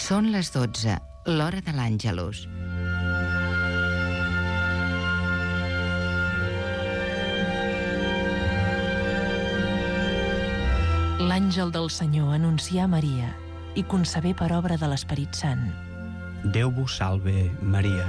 Són les 12, l'hora de l'Àngelus. L'àngel del Senyor anuncia a Maria i concebé per obra de l'Esperit Sant. Déu vos salve, Maria.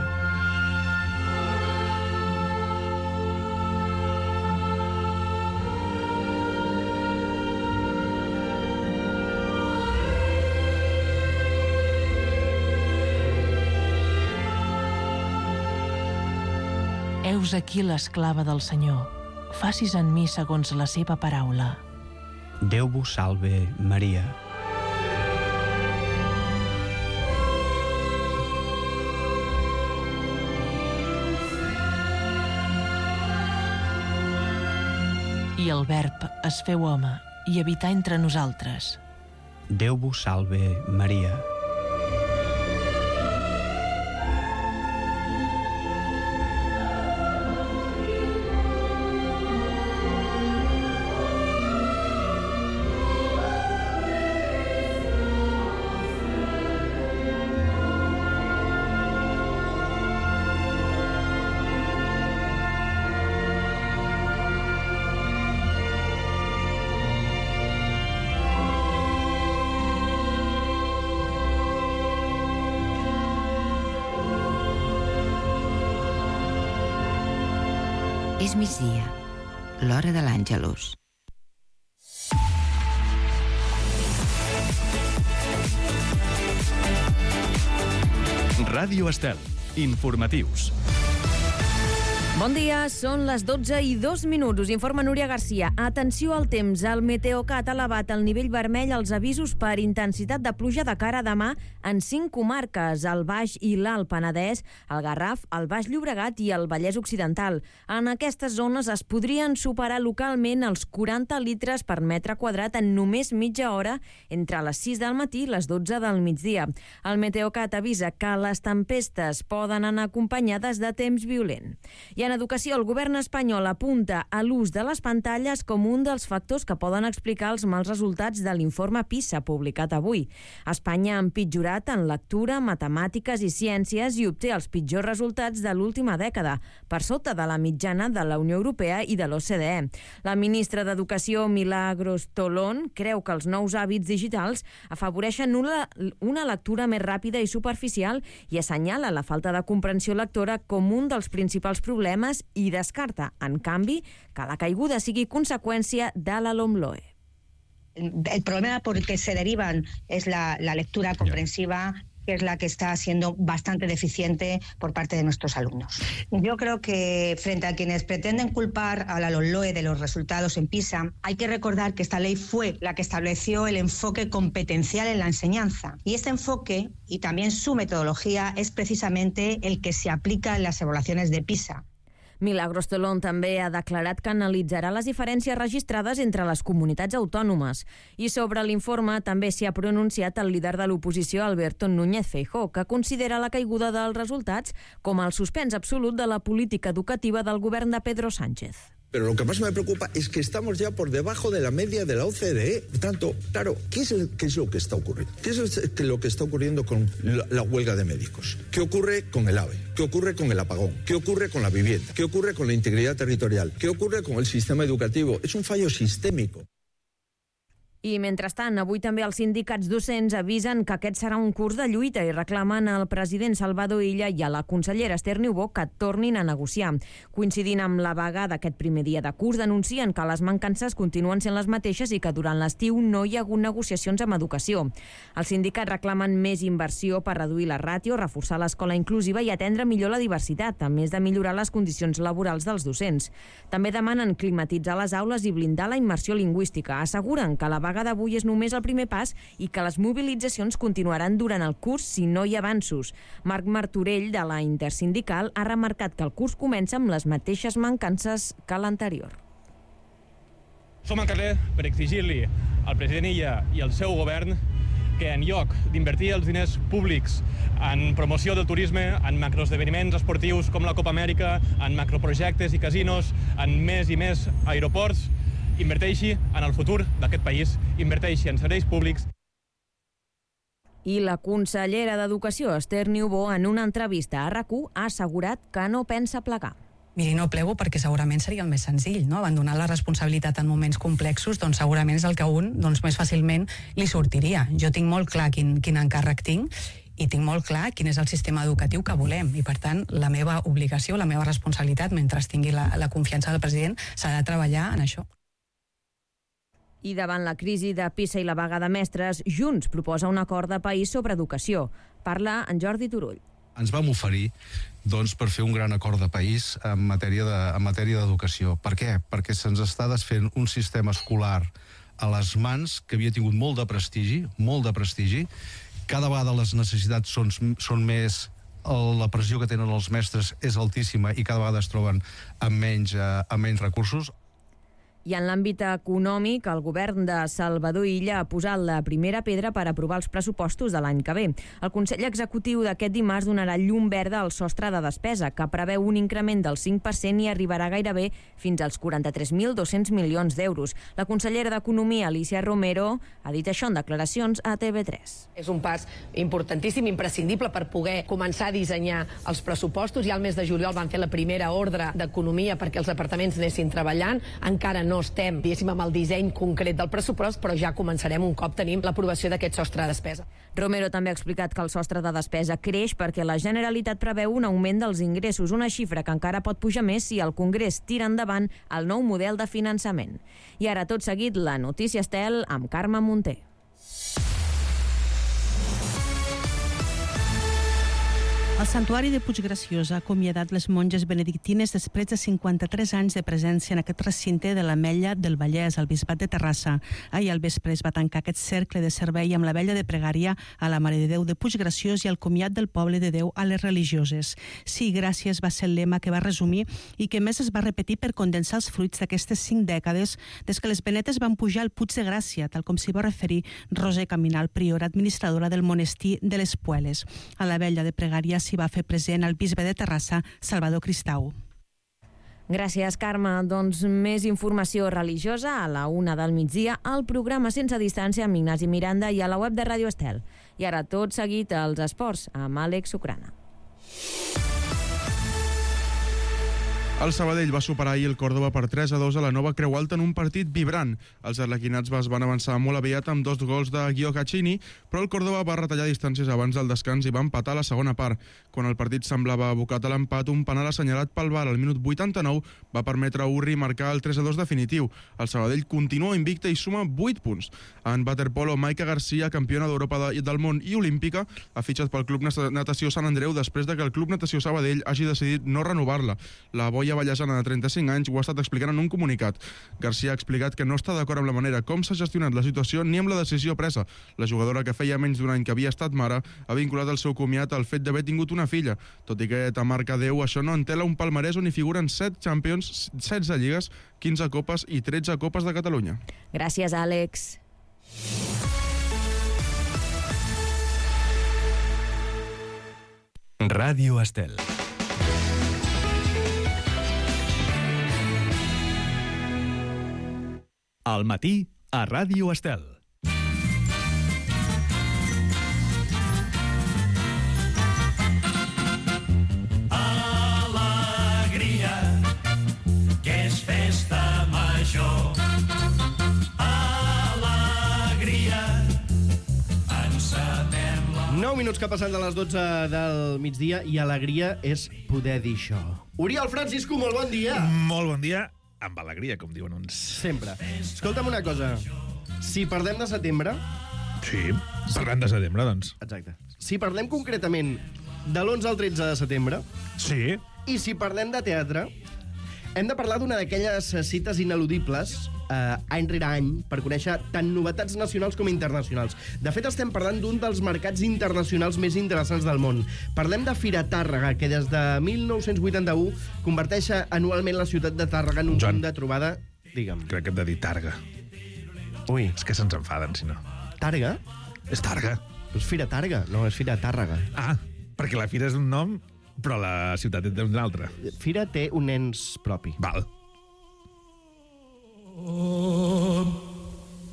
Heus aquí l'esclava del Senyor. Facis en mi segons la seva paraula. Déu vos salve, Maria. I el Verb es feu home i habità entre nosaltres. Déu vos salve, Maria. És migdia, l'hora de l'Àngelus. Ràdio Estel, informatius. Bon dia, són les 12:02. Us informa Núria Garcia. Atenció al temps. El Meteocat ha elevat el nivell vermell als avisos per intensitat de pluja de cara a demà en 5 comarques, el Baix i l'Alt Penedès, el Garraf, el Baix Llobregat i el Vallès Occidental. En aquestes zones es podrien superar localment els 40 litres per metre quadrat en només mitja hora entre les 6 del matí i les 12 del migdia. El Meteocat avisa que les tempestes poden anar acompanyades de temps violent. I en educació, el govern espanyol apunta a l'ús de les pantalles com un dels factors que poden explicar els mals resultats de l'informe PISA publicat avui. Espanya ha empitjorat en lectura, matemàtiques i ciències i obté els pitjors resultats de l'última dècada, per sota de la mitjana de la Unió Europea i de l'OCDE. La ministra d'Educació, Milagros Tolón, creu que els nous hàbits digitals afavoreixen una lectura més ràpida i superficial i assenyala la falta de comprensió lectora com un dels principals problemes i descarta, en canvi, que la caiguda sigui conseqüència de la LOMLOE. El problema por el que se derivan es la lectura comprensiva, que es la que está siendo bastante deficiente por parte de nuestros alumnos. Yo creo que frente a quienes pretenden culpar a la LOMLOE de los resultados en PISA, hay que recordar que esta ley fue la que estableció el enfoque competencial en la enseñanza. Y este enfoque, y también su metodología, es precisamente el que se aplica en las evaluaciones de PISA. Milagros Tolón també ha declarat que analitzarà les diferències registrades entre les comunitats autònomes. I sobre l'informe també s'hi ha pronunciat el líder de l'oposició, Alberto Núñez Feijóo, que considera la caiguda dels resultats com el suspens absolut de la política educativa del govern de Pedro Sánchez. Pero lo que más me preocupa es que estamos ya por debajo de la media de la OCDE. Por tanto, claro, ¿qué es lo que está ocurriendo? ¿Qué es lo que está ocurriendo con la huelga de médicos? ¿Qué ocurre con el AVE? ¿Qué ocurre con el apagón? ¿Qué ocurre con la vivienda? ¿Qué ocurre con la integridad territorial? ¿Qué ocurre con el sistema educativo? Es un fallo sistémico. I, mentrestant, avui també els sindicats docents avisen que aquest serà un curs de lluita i reclamen al president Salvador Illa i a la consellera Esther Niubó que tornin a negociar. Coincidint amb la vaga d'aquest primer dia de curs, denuncien que les mancances continuen sent les mateixes i que durant l'estiu no hi ha hagut negociacions amb educació. Els sindicats reclamen més inversió per reduir la ràtio, reforçar l'escola inclusiva i atendre millor la diversitat, a més de millorar les condicions laborals dels docents. També demanen climatitzar les aules i blindar la immersió lingüística. Asseguren que la vaga d'avui és només el primer pas i que les mobilitzacions continuaran durant el curs si no hi ha avanços. Marc Martorell, de la Intersindical, ha remarcat que el curs comença amb les mateixes mancances que l'anterior. Som al carrer per exigir-li al president Illa i al seu govern que en lloc d'invertir els diners públics en promoció del turisme, en macroesdeveniments esportius com la Copa Amèrica, en macroprojectes i casinos, en més i més aeroports, inverteixi en el futur d'aquest país, inverteixi en serveis públics. I la consellera d'Educació, Esther Niubó, en una entrevista a RAC1, ha assegurat que no pensa plegar. Miri, no plego perquè segurament seria el més senzill, no? Abandonar la responsabilitat en moments complexos, doncs segurament és el que a un més fàcilment li sortiria. Jo tinc molt clar quin encàrrec tinc i tinc molt clar quin és el sistema educatiu que volem i, per tant, la meva obligació, la meva responsabilitat, mentre tingui la confiança del president, serà treballar en això. I davant la crisi de PISA i la vaga de mestres, Junts proposa un acord de país sobre educació. Parla en Jordi Turull. Ens vam oferir per fer un gran acord de país en matèria d'educació. Per què? Perquè se'ns està desfent un sistema escolar a les mans que havia tingut molt de prestigi. Cada vegada les necessitats són més, la pressió que tenen els mestres és altíssima i cada vegada es troben amb menys recursos. I en l'àmbit econòmic, el govern de Salvador Illa ha posat la primera pedra per aprovar els pressupostos de l'any que ve. El Consell Executiu d'aquest dimarts donarà llum verda al sostre de despesa, que preveu un increment del 5% i arribarà gairebé fins als 43.200 milions d'euros. La consellera d'Economia, Alicia Romero, ha dit això en declaracions a TV3. És un pas importantíssim, imprescindible per poder començar a dissenyar els pressupostos. Ja al mes de juliol van fer la primera ordre d'Economia perquè els departaments anessin treballant. Encara no estem, diguéssim, amb el disseny concret del pressupost, però ja començarem un cop tenim l'aprovació d'aquest sostre de despesa. Romero també ha explicat que el sostre de despesa creix perquè la Generalitat preveu un augment dels ingressos, una xifra que encara pot pujar més si el Congrés tira endavant el nou model de finançament. I ara, tot seguit, la notícia Estel amb Carme Munter. El Santuari de Puiggraciós ha acomiadat les monges benedictines després de 53 anys de presència en aquest recinte de l'Ametlla del Vallès, al Bisbat de Terrassa. Ahir al vespre es va tancar aquest cercle de servei amb la vella de pregària a la Mare de Déu de Puiggraciós i el comiat del poble de Déu a les religioses. Sí, gràcies va ser el lema que va resumir i que més es va repetir per condensar els fruits d'aquestes 5 dècades des que les benetes van pujar al Puig de Gràcia, tal com s'hi va referir Roser Caminal, priora administradora del monestir de les Pueles. A la vella de pregària s'hi va fer present el bisbe de Terrassa, Salvador Cristau. Gràcies, Carme. Doncs més informació religiosa a la 1 del migdia al programa Sense Distància amb Ignasi Miranda i a la web de Ràdio Estel. I ara tot seguit als esports amb Àlex Sucrana. El Sabadell va superar ahir el Córdoba per 3-2 a la Nova Creu Alta en un partit vibrant. Els arlequinats es van avançar molt aviat amb 2 gols de Guido Caccini, però el Córdoba va retallar distàncies abans del descans i va empatar a la segona part. Quan el partit semblava abocat a l'empat, un penal assenyalat pel VAR al minut 89 va permetre a Urri marcar el 3-2 definitiu. El Sabadell continua invicte i suma 8 punts. En waterpolo, Maika Garcia, campiona d'Europa del món i olímpica, ha fitxat pel Club Natació Sant Andreu després de que el Club Natació Sabadell hagi decidit no renovar-la. La boia vallesana de 35 anys ho ha estat explicant en un comunicat. Garcia ha explicat que no està d'acord amb la manera com s'ha gestionat la situació ni amb la decisió presa. La jugadora, que feia menys d'un any que havia estat mare, ha vinculat el seu comiat al fet d'haver tingut una filla. Tot i que marca 10, això no entela un palmarès on hi figuren 7 Champions, 16 lligues, 15 copes i 13 copes de Catalunya. Gràcies, Àlex. Ràdio Estel. Al matí a Ràdio Estel. Alegria, que és festa major. Alegria, encetem la... 9 minuts que passen de les 12 del migdia i alegria és poder dir això. Oriol Francisco, molt bon dia. Molt bon dia. Amb alegria, com diuen uns. Sempre. Escolta'm una cosa. Si parlem de setembre... Sí, parlem de setembre, doncs. Exacte. Si parlem concretament de l'11 al 13 de setembre... Sí. I si parlem de teatre, hem de parlar d'una d'aquelles cites ineludibles, any rere any, per conèixer tant novetats nacionals com internacionals. De fet, estem parlant d'un dels mercats internacionals més interessants del món. Parlem de Fira Tàrrega, que des de 1981 converteix anualment la ciutat de Tàrrega en un punt de trobada... Digue'm. Crec que hem de dir Targa. Ui. És que se'ns enfaden, si no. Targa? És Targa. És Fira Tàrrega, no, és Fira Tàrrega. Ah, perquè la fira és un nom, però la ciutat és un altre. Fira té un ens propi. Val.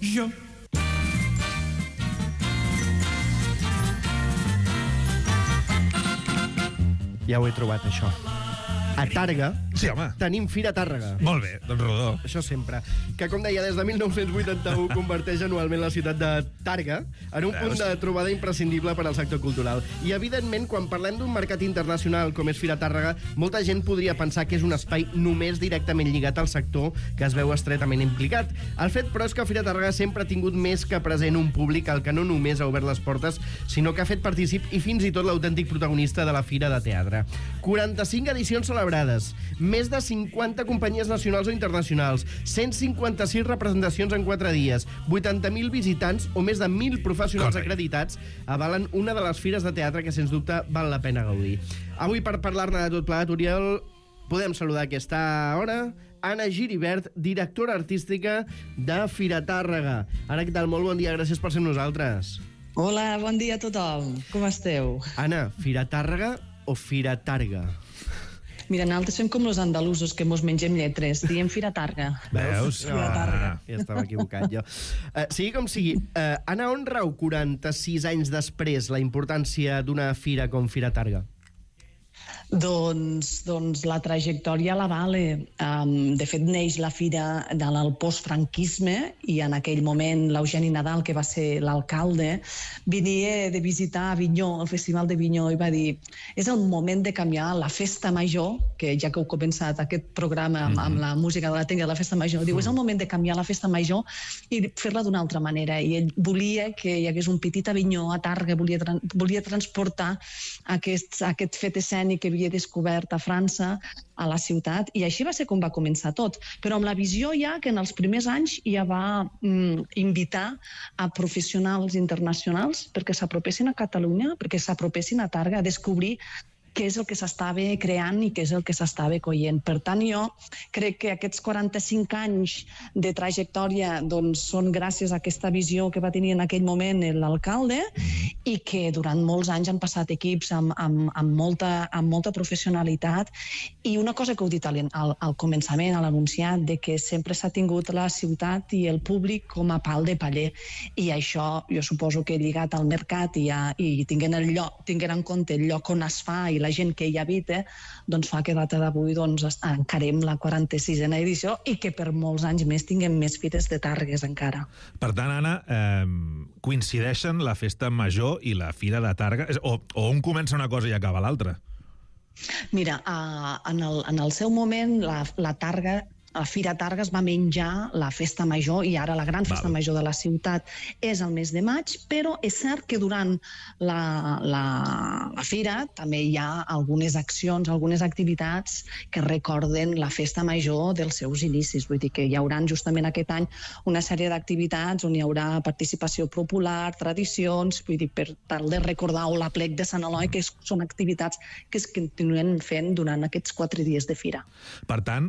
Jo. Ja ho he trobat, això. A Tàrrega tenim Fira Tàrrega. Molt bé, doncs rodó. Això sempre. Que, com deia, des de 1981 converteix anualment la ciutat de Tàrrega en un punt de trobada imprescindible per al sector cultural. I, evidentment, quan parlem d'un mercat internacional com és Fira Tàrrega, molta gent podria pensar que és un espai només directament lligat al sector que es veu estretament implicat. El fet, però, és que Fira Tàrrega sempre ha tingut més que present un públic al que no només ha obert les portes, sinó que ha fet partícip i fins i tot l'autèntic protagonista de la Fira de Teatre. 45 edicions celebrades, més de 50 companyies nacionals o internacionals, 156 representacions en 4 dies, 80.000 visitants o més de 1.000 professionals acreditats avalen una de les fires de teatre que, sens dubte, val la pena gaudir. Avui, per parlar-ne de tot plegat, Oriol, podem saludar a aquesta hora Anna Giribert, directora artística de Fira Tàrrega. Anna, què tal? Molt bon dia, gràcies per ser amb nosaltres. Hola, bon dia a tothom. Com esteu? Anna, Fira Tàrrega o Fira Targa? Mira, nosaltres fem com els andalusos, que mos mengem lletres. Diem Fira Targa. Veus? Fira Targa. Ja estava equivocat, jo. Sigui com sigui, Anna, on rau 46 anys després la importància d'una fira com Fira Targa? Doncs la trajectòria la vale. De fet, neix la fira del postfranquisme i en aquell moment l'Eugeni Nadal, que va ser l'alcalde, venia de visitar Avinyó, el Festival d'Avinyó, i va dir és el moment de canviar la festa major, que ja que heu començat aquest programa amb la música de la tècnica de la festa major, diu, és el moment de canviar la festa major i fer-la d'una altra manera. I ell volia que hi hagués un petit Avinyó a Tàrrega, volia transportar aquest fet escènic que havia descobert a França, a la ciutat, i així va ser com va començar tot. Però amb la visió ja que en els primers anys ja va invitar a professionals internacionals perquè s'apropessin a Catalunya, perquè s'apropessin a Tàrrega, a descobrir què és el que s'estava creant i què és el que s'estava coient. Per tant, jo crec que aquests 45 anys de trajectòria són gràcies a aquesta visió que va tenir en aquell moment l'alcalde i que durant molts anys han passat equips amb molta professionalitat. I una cosa que heu dit al començament, a l'anunciat, de que sempre s'ha tingut la ciutat i el públic com a pal de paller. I això, jo suposo que lligat al mercat i tinguent en compte el lloc on es fa i la gent que hi habita, doncs fa que a data d'avui encarem la 46a edició i que per molts anys més tinguem més fires de Tàrregues encara. Per tant, Anna, coincideixen la festa major i la fira de Tàrrega? O on comença una cosa i acaba l'altra? Mira, en el seu moment la Tàrrega, a Fira Tàrrega es va menjar la festa major i ara la gran festa major de la ciutat és el mes de maig, però és cert que durant la fira també hi ha algunes accions, algunes activitats que recorden la festa major dels seus inicis. Vull dir que hi haurà justament aquest any una sèrie d'activitats on hi haurà participació popular, tradicions, vull dir, per tal de recordar l'aplec de Sant Eloi, que són activitats que es continuen fent durant aquests 4 dies de fira. Per tant,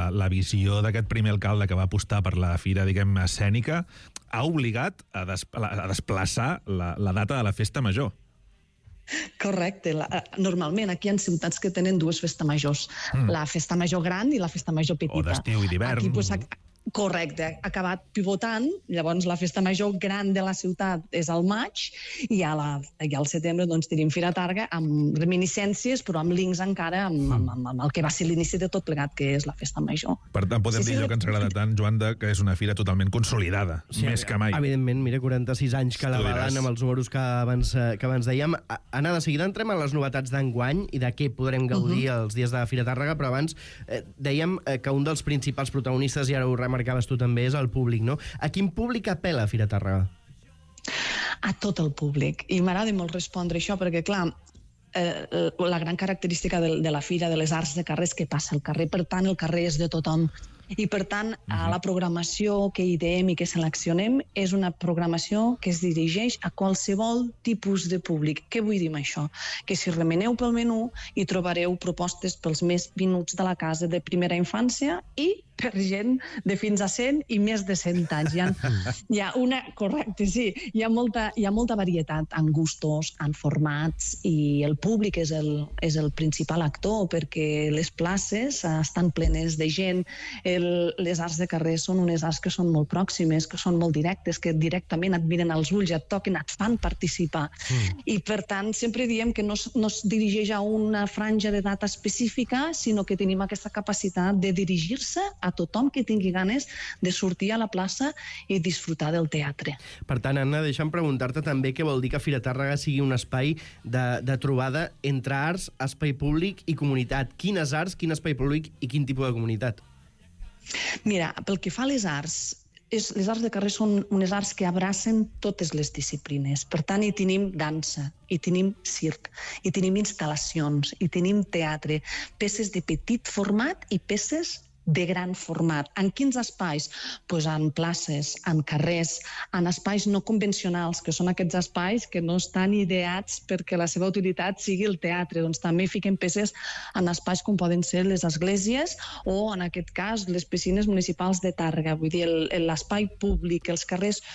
la visió d'aquest primer alcalde que va apostar per la fira, diguem, escènica, ha obligat a desplaçar la data de la festa major. Correcte. Normalment aquí hi ha ciutats que tenen 2 festes majors. La festa major gran i la festa major petita. O d'estiu i d'hivern. Correcte, ha acabat pivotant, llavors la festa major gran de la ciutat és al maig i al setembre tenim Fira Tàrrega amb reminiscències, però amb links encara amb el que va ser l'inici de tot plegat, que és la festa major. Per tant, podem dir allò que ens agrada tant, Joan, que és una fira totalment consolidada, més que mai. Evidentment, mira, 46 anys que la valen amb els números que abans dèiem. Anna, de seguida entrem a les novetats d'enguany i de què podrem gaudir els dies de Fira Tàrrega, però abans dèiem que un dels principals protagonistes, i ara ho remarcaves tu també, és el públic, no? A quin públic apela Fira Tàrrega? A tot el públic. I m'agrada molt respondre això perquè, clar, la gran característica de la Fira de les Arts de carrer és que passa al carrer, per tant el carrer és de tothom. I per tant, la programació que ideem i que seleccionem és una programació que es dirigeix a qualsevol tipus de públic. Què vull dir amb això? Que si remeneu pel menú hi trobareu propostes pels més venuts de la casa de primera infància i per gent de fins a 100 i més de 100 anys. Hi ha una... Correcte, sí. Hi ha molta varietat en gustos, en formats, i el públic és el principal actor, perquè les places estan plenes de gent. Les arts de carrer són unes arts que són molt pròximes, que són molt directes, que directament et miren als ulls, et toquen, et fan participar. I, per tant, sempre diem que no es dirigeix a una franja d'edat específica, sinó que tenim aquesta capacitat de dirigir-se a tothom que tingui ganes de sortir a la plaça i disfrutar del teatre. Per tant, Anna, deixa'm preguntar-te també què vol dir que Fira Tàrrega sigui un espai de trobada entre arts, espai públic i comunitat. Quines arts, quin espai públic i quin tipus de comunitat? Mira, pel que fa a les arts, les arts de carrer són unes arts que abracen totes les disciplines. Per tant, hi tenim dansa, hi tenim circ, hi tenim instal·lacions, hi tenim teatre, peces de petit format i peces de gran format. En quins espais? Doncs en places, en carrers, en espais no convencionals, que són aquests espais que no estan ideats perquè la seva utilitat sigui el teatre. Doncs també fiquem peces en espais com poden ser les esglésies o, en aquest cas, les piscines municipals de Tàrrega. Vull dir, l'espai públic, els carrers...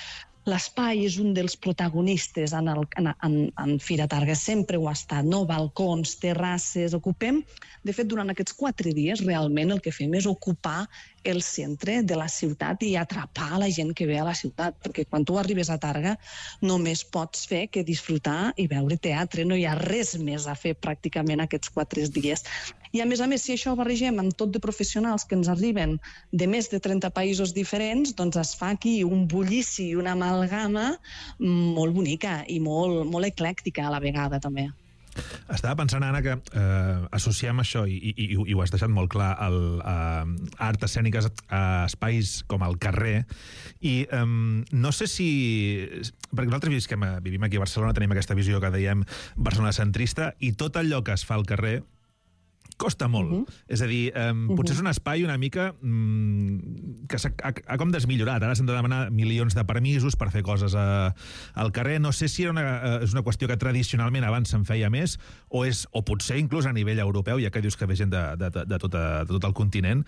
L'espai és un dels protagonistes en Fira Tàrrega, sempre ho ha estat, no? Balcons, terrasses, ocupem... De fet, durant aquests 4 dies, realment el que fem és ocupar el centre de la ciutat i atrapar la gent que ve a la ciutat, perquè quan tu arribes a Tàrrega només pots fer que disfrutar i veure teatre, no hi ha res més a fer pràcticament aquests 4 dies. I a més, si això ho barregem amb tot de professionals que ens arriben de més de 30 països diferents, doncs es fa aquí un bullici i una amalgama molt bonica i molt eclèctica a la vegada, també. Estava pensant, Anna, que associem això, i ho has deixat molt clar, art escèniques a espais com el carrer, i no sé si... Perquè nosaltres vivim aquí a Barcelona, tenim aquesta visió que dèiem Barcelona centrista, i tot allò que es fa al carrer costa molt. És a dir, potser és un espai una mica que ha com desmillorat. Ara s'han de demanar milions de permisos per fer coses al carrer. No sé si és una qüestió que tradicionalment abans se'n feia més, o potser inclús a nivell europeu, ja que dius que ve gent de tot el continent.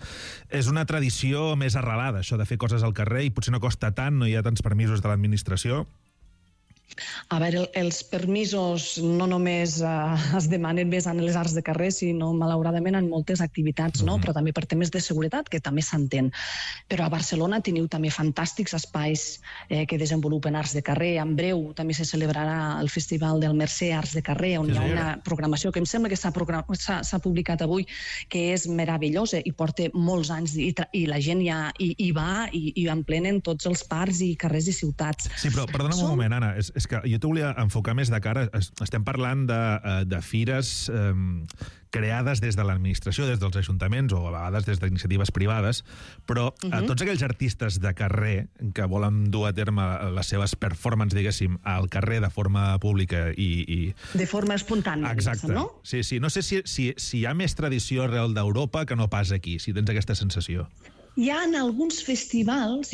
És una tradició més arrelada, això de fer coses al carrer, i potser no costa tant, no hi ha tants permisos de l'administració. A veure, els permisos no només es demanen més en les arts de carrer, sinó, malauradament, en moltes activitats, no? Però també per temes de seguretat, que també s'entén. Però a Barcelona teniu també fantàstics espais que desenvolupen arts de carrer. En breu també se celebrarà el Festival del Mercè Arts de Carrer, on hi ha una programació que em sembla que s'ha publicat avui, que és meravellosa i porta molts anys, i la gent ja hi va i emplenen tots els parcs i carrers i ciutats. Sí, però perdona'm un moment, Anna, és que jo t'ho volia enfocar més de cara. Estem parlant de fires creades des de l'administració, des dels ajuntaments o a vegades des d'iniciatives privades, però tots aquells artistes de carrer que volen dur a terme les seves performances, diguéssim, al carrer de forma pública i... De forma espontània, exacte, no? Sí, no sé si hi ha més tradició arrel d'Europa que no pas aquí, si tens aquesta sensació. Hi ha alguns festivals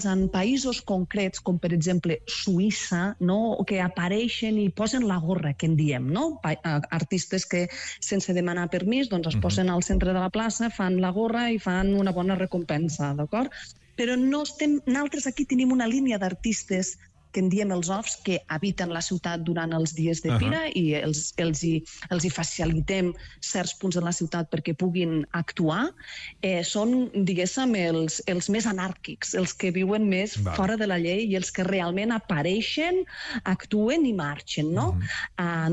en països concrets, com per exemple Suïssa, no? Que apareixen i posen la gorra, que en diem, no? Artistes que sense demanar permís doncs es posen al centre de la plaça, fan la gorra i fan una bona recompensa, d'acord? Però nosaltres aquí tenim una línia d'artistes que en diem els offs, que habiten la ciutat durant els dies de fira i els hi facilitem certs punts de la ciutat perquè puguin actuar. Són, diguéssim, els més anàrquics, els que viuen més fora de la llei i els que realment apareixen, actuen i marxen, no?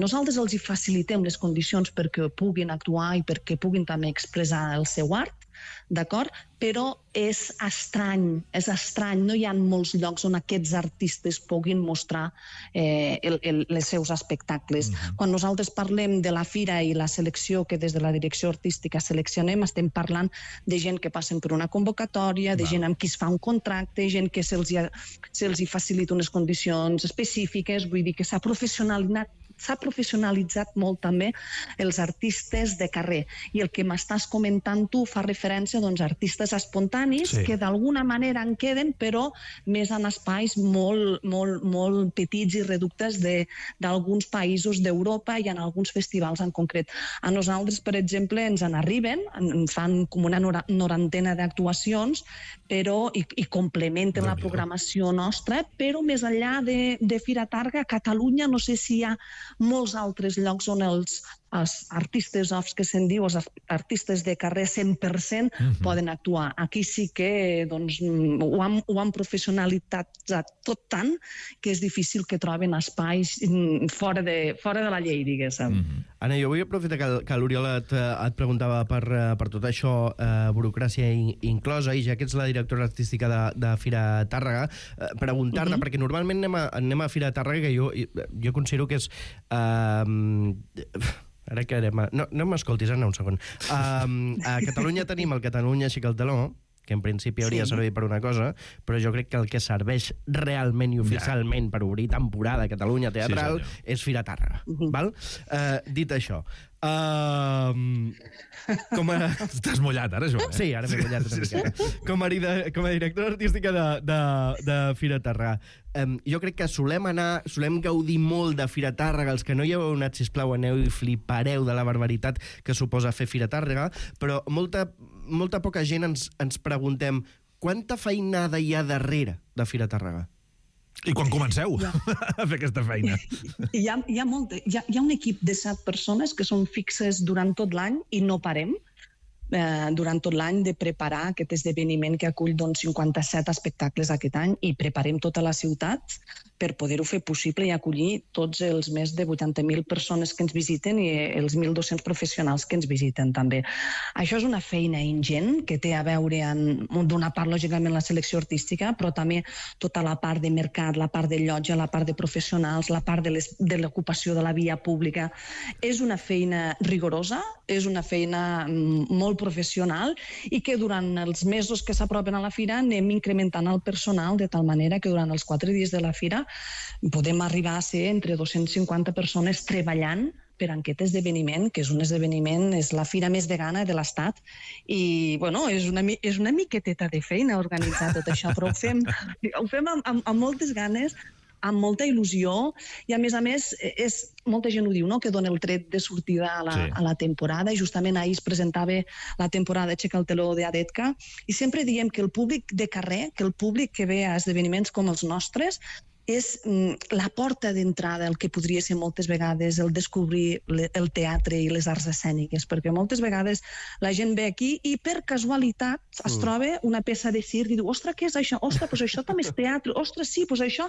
Nosaltres els hi facilitem les condicions perquè puguin actuar i perquè puguin també expressar el seu art, d'acord? Però és estrany, no hi ha molts llocs on aquests artistes puguin mostrar els seus espectacles. Quan nosaltres parlem de la fira i la selecció que des de la direcció artística seleccionem, estem parlant de gent que passen per una convocatòria, de gent amb qui es fa un contracte, gent que se'ls hi facilita unes condicions específiques, vull dir que s'ha professionalitzat molt també els artistes de carrer. I el que m'estàs comentant tu fa referència a artistes artistes espontanis que d'alguna manera en queden, però més en espais molt petits i reductes d'alguns països d'Europa i en alguns festivals en concret. A nosaltres, per exemple, ens en arriben, fan com una norantena d'actuacions i complementen la programació nostra, però més enllà de Fira Targa, a Catalunya no sé si hi ha molts altres llocs on els artistes offs, que se'n diu, els artistes de carrer 100% poden actuar. Aquí sí que ho han professionalitzat tot tant que és difícil que troben espais fora de la llei, diguéssim. Anna, jo vull aprofitar que l'Oriol et preguntava per tot això, burocràcia inclosa, i ja que ets la directora artística de Fira Tàrrega, preguntar-te, perquè normalment anem a Fira Tàrrega, que jo considero que és... Ara que no m'escoltis, Anna, un segon. A Catalunya tenim el Catalunya Aixeca el Teló, que en principi hauria de servir per una cosa, però jo crec que el que serveix realment i oficialment per obrir temporada a Catalunya Teatral és Fira Tàrrega. Dit això, Estàs mullat ara, Joan? Sí, ara m'he mullat una miqueta. Com a directora artística de Fira Tàrrega, jo crec que solem gaudir molt de Fira Tàrrega. Els que no hi heu anat, sisplau, aneu i flipareu de la barbaritat que suposa fer Fira Tàrrega, però molta poca gent ens preguntem quanta feinada hi ha darrere de Fira Tàrrega. I quan comenceu a fer aquesta feina? Hi ha un equip de 7 persones que són fixes durant tot l'any i no parem durant tot l'any de preparar aquest esdeveniment que acull 57 espectacles aquest any, i preparem tota la ciutat per poder-ho fer possible i acollir tots els més de 80.000 persones que ens visiten i els 1.200 professionals que ens visiten també. Això és una feina ingent que té a veure d'una part, lògicament, la selecció artística, però també tota la part de mercat, la part de llotja, la part de professionals, la part de l'ocupació de la via pública. És una feina rigorosa, és una feina molt professional i que durant els mesos que s'apropen a la fira anem incrementant el personal de tal manera que durant els 4 dies de la fira podem arribar a ser entre 250 persones treballant per aquest esdeveniment, que és un esdeveniment, és la fira més vegana de l'Estat, i bueno, és una miqueteta de feina organitzar tot això, però ho fem amb moltes ganes, amb molta il·lusió, i a més, molta gent ho diu, que dona el tret de sortida a la temporada, i justament ahir es presentava la temporada Aixeca el Teló d'Adetka, i sempre diem que el públic de carrer, que el públic que ve a esdeveniments com els nostres, és la porta d'entrada, el que podria ser moltes vegades el descobrir el teatre i les arts escèniques, perquè moltes vegades la gent ve aquí i per casualitat es troba una peça de circ i diu, ostres, què és això? Ostres, doncs això també és teatre, ostres, sí, doncs això...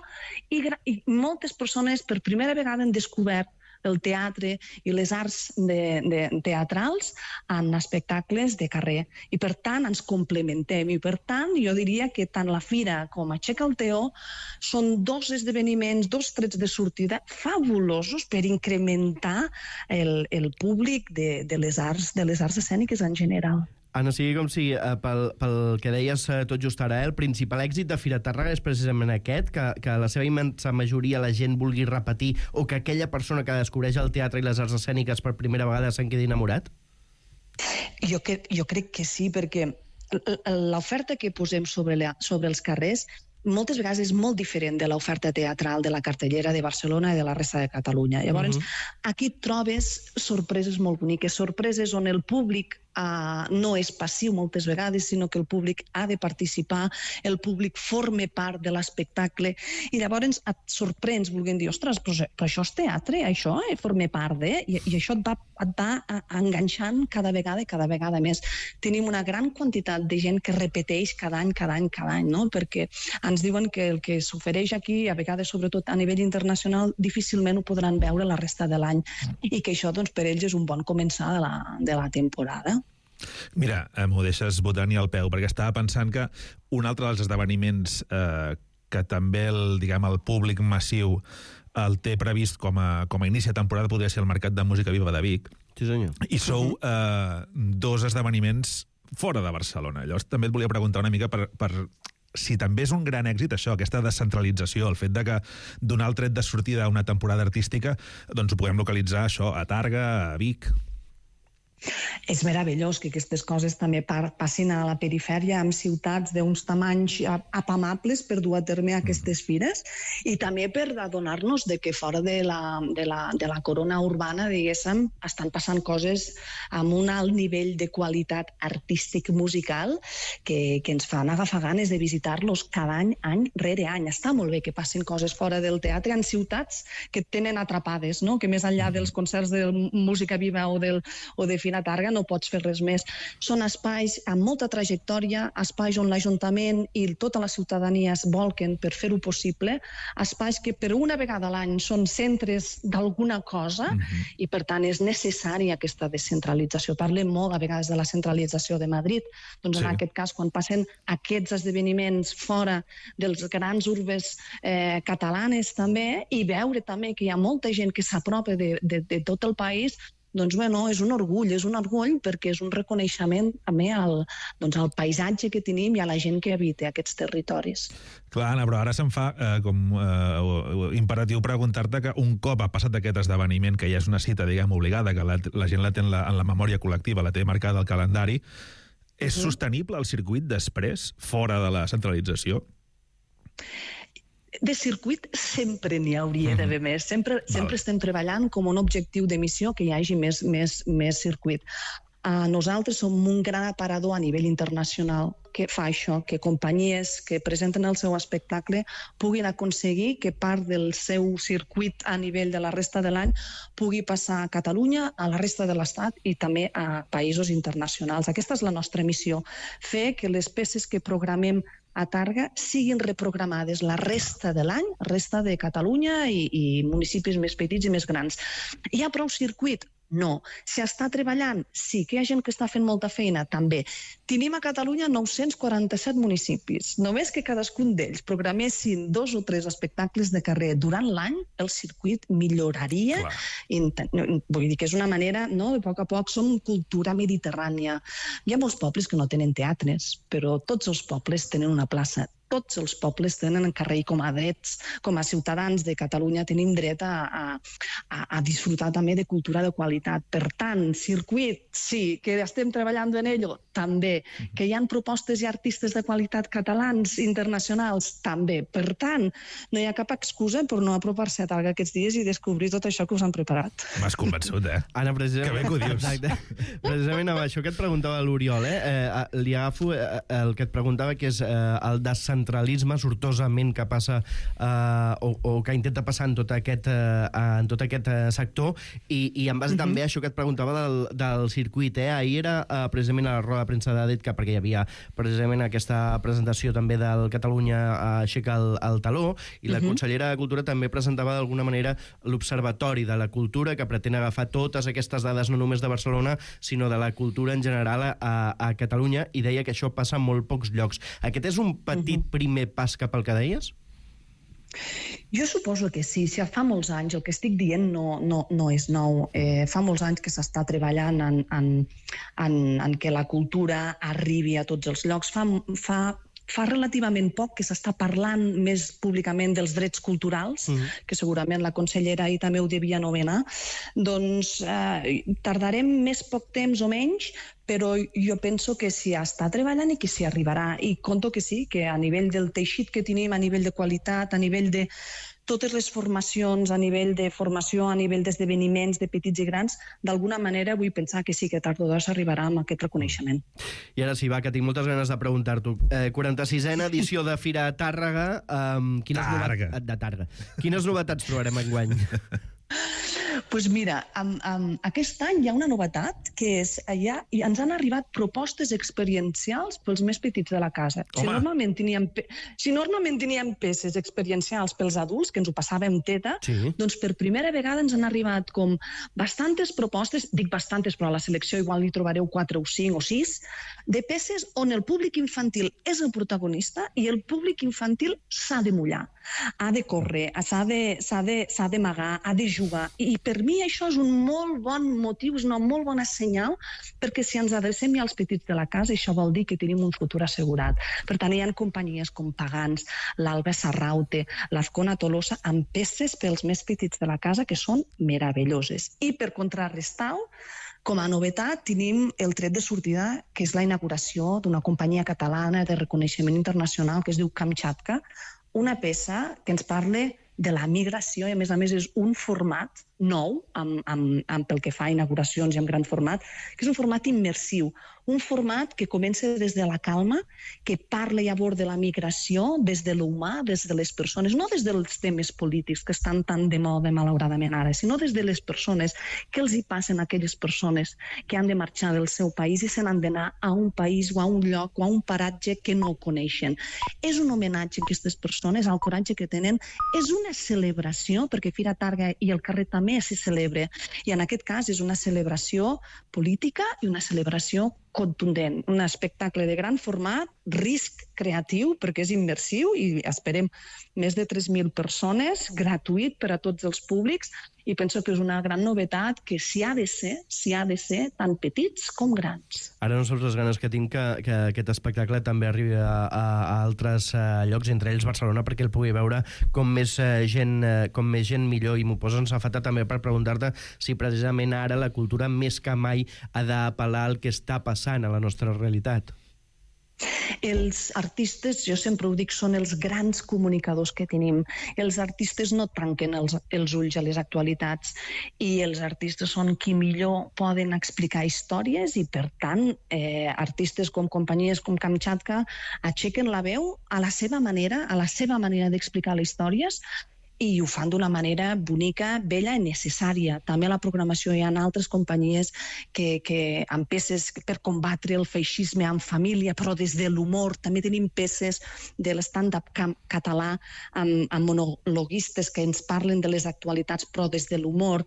I moltes persones per primera vegada han descobert el teatre i les arts teatrals en espectacles de carrer. I per tant ens complementem, i per tant jo diria que tant la fira com Aixeca el Teló són 2 esdeveniments, 2 trets de sortida fabulosos per incrementar el públic de les arts escèniques en general. Anna, sigui com sigui, pel que deies tot just ara, el principal èxit de Fira Tàrrega és precisament aquest, que la seva immensa majoria la gent vulgui repetir, o que aquella persona que descobreix el teatre i les arts escèniques per primera vegada se'n quedi enamorat? Jo crec que sí, perquè l'oferta que posem sobre els carrers moltes vegades és molt diferent de l'oferta teatral de la cartellera de Barcelona i de la resta de Catalunya. Llavors, aquí trobes sorpreses molt boniques, sorpreses on el públic no és passiu moltes vegades, sinó que el públic ha de participar, el públic forma part de l'espectacle, i llavors et sorprens volent dir, ostres, però això és teatre, això forma part de... I això et va enganxant cada vegada més. Tenim una gran quantitat de gent que repeteix cada any, no? Perquè ens diuen que el que s'ofereix aquí, a vegades, sobretot a nivell internacional, difícilment ho podran veure la resta de l'any, i que això per ells és un bon començar de la temporada. Mira, m'ho deixes botant al peu, perquè estava pensant que un altre dels esdeveniments que també el públic massiu el té previst com a inici de temporada podria ser el Mercat de Música Viva de Vic. Sí, senyor. I sou 2 esdeveniments fora de Barcelona. Llavors també et volia preguntar una mica per si també és un gran èxit això, aquesta descentralització, el fet de que donar el tret de sortida a una temporada artística, doncs ho puguem localitzar això a Tàrrega, a Vic. És meravellós que aquestes coses també passin a la perifèria, en ciutats d'uns tamanys apamables per dur a terme aquestes fires, i també per adonar-nos de que fora de la corona urbana, diguéssim, estan passant coses amb un alt nivell de qualitat artístic-musical que ens fan agafar ganes de visitar-los cada any rere any. Està molt bé que passin coses fora del teatre en ciutats que tenen atrapades, no? Que més enllà dels concerts de música viva o de Fira Targa no pots fer res més. Són espais amb molta trajectòria, espais on l'Ajuntament i tota la ciutadania es volquen per fer-ho possible, espais que per una vegada a l'any són centres d'alguna cosa i per tant és necessària aquesta descentralització. Parlem molt a vegades de la centralització de Madrid, doncs en aquest cas quan passen aquests esdeveniments fora dels grans urbes catalanes també, i veure també que hi ha molta gent que s'apropa de tot el país, doncs bueno, és un orgull perquè és un reconeixement també al paisatge que tenim i a la gent que habita aquests territoris. Clar, Anna, però ara se'm fa com imperatiu preguntar-te que un cop ha passat aquest esdeveniment, que ja és una cita, diguem, obligada, que la gent la té en la memòria col·lectiva, la té marcada al calendari, és sostenible el circuit després, fora de la centralització? De circuit sempre n'hi hauria d'haver més. Sempre estem treballant com un objectiu de missió que hi hagi més circuit. Nosaltres som un gran aparador a nivell internacional que fa això, que companyies que presenten el seu espectacle puguin aconseguir que part del seu circuit a nivell de la resta de l'any pugui passar a Catalunya, a la resta de l'Estat i també a països internacionals. Aquesta és la nostra missió, fer que les peces que programem a Targa siguin reprogramades la resta de l'any, resta de Catalunya i municipis més petits i més grans. Hi ha prou circuit? No. Si està treballant? Sí. Que hi ha gent que està fent molta feina? També. Tenim a Catalunya 947 municipis. Només que cadascun d'ells programessin 2 o 3 espectacles de carrer durant l'any, el circuit milloraria. Vull dir que és una manera, no? De poc a poc som cultura mediterrània. Hi ha molts pobles que no tenen teatres, però tots els pobles tenen una plaça. Tots els pobles tenen en carrer com a drets, com a ciutadans de Catalunya tenim dret a disfrutar també de cultura de qualitat. Per tant, circuit, sí. Que estem treballant en ello, també. Que hi ha propostes i artistes de qualitat catalans, internacionals, també. Per tant, no hi ha cap excusa per no apropar-se a Targa aquests dies i descobrir tot això que us han preparat. M'has convençut, Anna, precisament... Que bé que ho dius. Exacte. Precisament amb això que et preguntava l'Oriol, li agafo el que et preguntava, que és el descentralisme sortosament que passa o que intenta passar en tot aquest sector, i en base també a això que et preguntava del circuit. Ahir era precisament a la roda de premsa d'EDCA, perquè hi havia precisament aquesta presentació també del Catalunya aixeca el taló, i la consellera de Cultura també presentava d'alguna manera l'Observatori de la Cultura, que pretén agafar totes aquestes dades no només de Barcelona, sinó de la cultura en general a Catalunya, i deia que això passa en molt pocs llocs. Aquest és un petit primer pas cap al que deies? Jo suposo que sí. Si fa molts anys, el que estic dient no és nou. Fa molts anys que s'està treballant en que la cultura arribi a tots els llocs. Fa relativament poc que s'està parlant més públicament dels drets culturals, que segurament la consellera ahir també ho devia anomenar. Doncs tardarem més poc temps o menys, però jo penso que s'hi està treballant i que s'hi arribarà. I conto que sí, que a nivell del teixit que tenim, a nivell de qualitat, a nivell de totes les formacions, a nivell de formació, a nivell d'esdeveniments de petits i grans, d'alguna manera vull pensar que sí, que tard o d'hora s'arribarà amb aquest reconeixement. I ara sí, va, que tinc moltes ganes de preguntar-t'ho. 46a edició de Fira Tàrrega. Quines novetats trobarem enguany? Doncs mira, aquest any hi ha una novetat, que és ens han arribat propostes experiencials pels més petits de la casa. Si normalment teníem peces experiencials pels adults, que ens ho passàvem teta, doncs per primera vegada ens han arribat com bastantes propostes, dic bastantes, però a la selecció igual hi trobareu 4 o 5 o 6, de peces on el públic infantil és el protagonista i el públic infantil s'ha de mullar, ha de córrer, s'ha d'amagar, ha de jugar. I per mi això és un molt bon motiu, és una molt bona senyal, perquè si ens adrecem ja als petits de la casa, això vol dir que tenim un futur assegurat. Per tant, hi ha companyies com Pagans, l'Alba Sarraute, l'Azcona Tolosa, amb peces pels més petits de la casa que són meravelloses. I per contrarrestar-ho, Com a novetat tenim el tret de sortida, que és la inauguració d'una companyia catalana de reconeixement internacional que es diu Kamchatka, una peça que ens parla de la migració i, a més, és un format nou, pel que fa a inauguracions i en gran format, que és un format immersiu, un format que comença des de la calma, que parla i aborda la migració des de l'humà, des de les persones, no des dels temes polítics que estan tan de moda malauradament ara, sinó des de les persones, què els hi passen a aquelles persones que han de marxar del seu país i se n'han d'anar a un país o a un lloc o a un paratge que no coneixen. És un homenatge a aquestes persones, al coratge que tenen, és una celebració, perquè Fira Targa i el carrer també s'hi celebra, i en aquest cas és una celebració política i una celebració contundent, un espectacle de gran format, risc creatiu, perquè és immersiu i esperem més de 3.000 persones, gratuït per a tots els públics, i penso que és una gran novetat que s'hi ha de ser tant petits com grans. Ara no saps les ganes que tinc que aquest espectacle també arribi a altres llocs, entre ells Barcelona, perquè el pugui veure com més gent millor, i m'ho posa en safata també per preguntar-te si precisament ara la cultura més que mai ha d'apel·lar al que està passant a la nostra realitat. Els artistes, jo sempre ho dic, són els grans comunicadors que tenim. Els artistes no tanquen els ulls a les actualitats i els artistes són qui millor poden explicar històries i, per tant, artistes com companyies com Kamchatka aixequen la veu a la seva manera d'explicar les històries, i ho fan d'una manera bonica, bella i necessària. També a la programació hi ha altres companyies que amb peces per combatre el feixisme en família, però des de l'humor. També tenim peces de l'stand-up català amb monologuistes que ens parlen de les actualitats, però des de l'humor.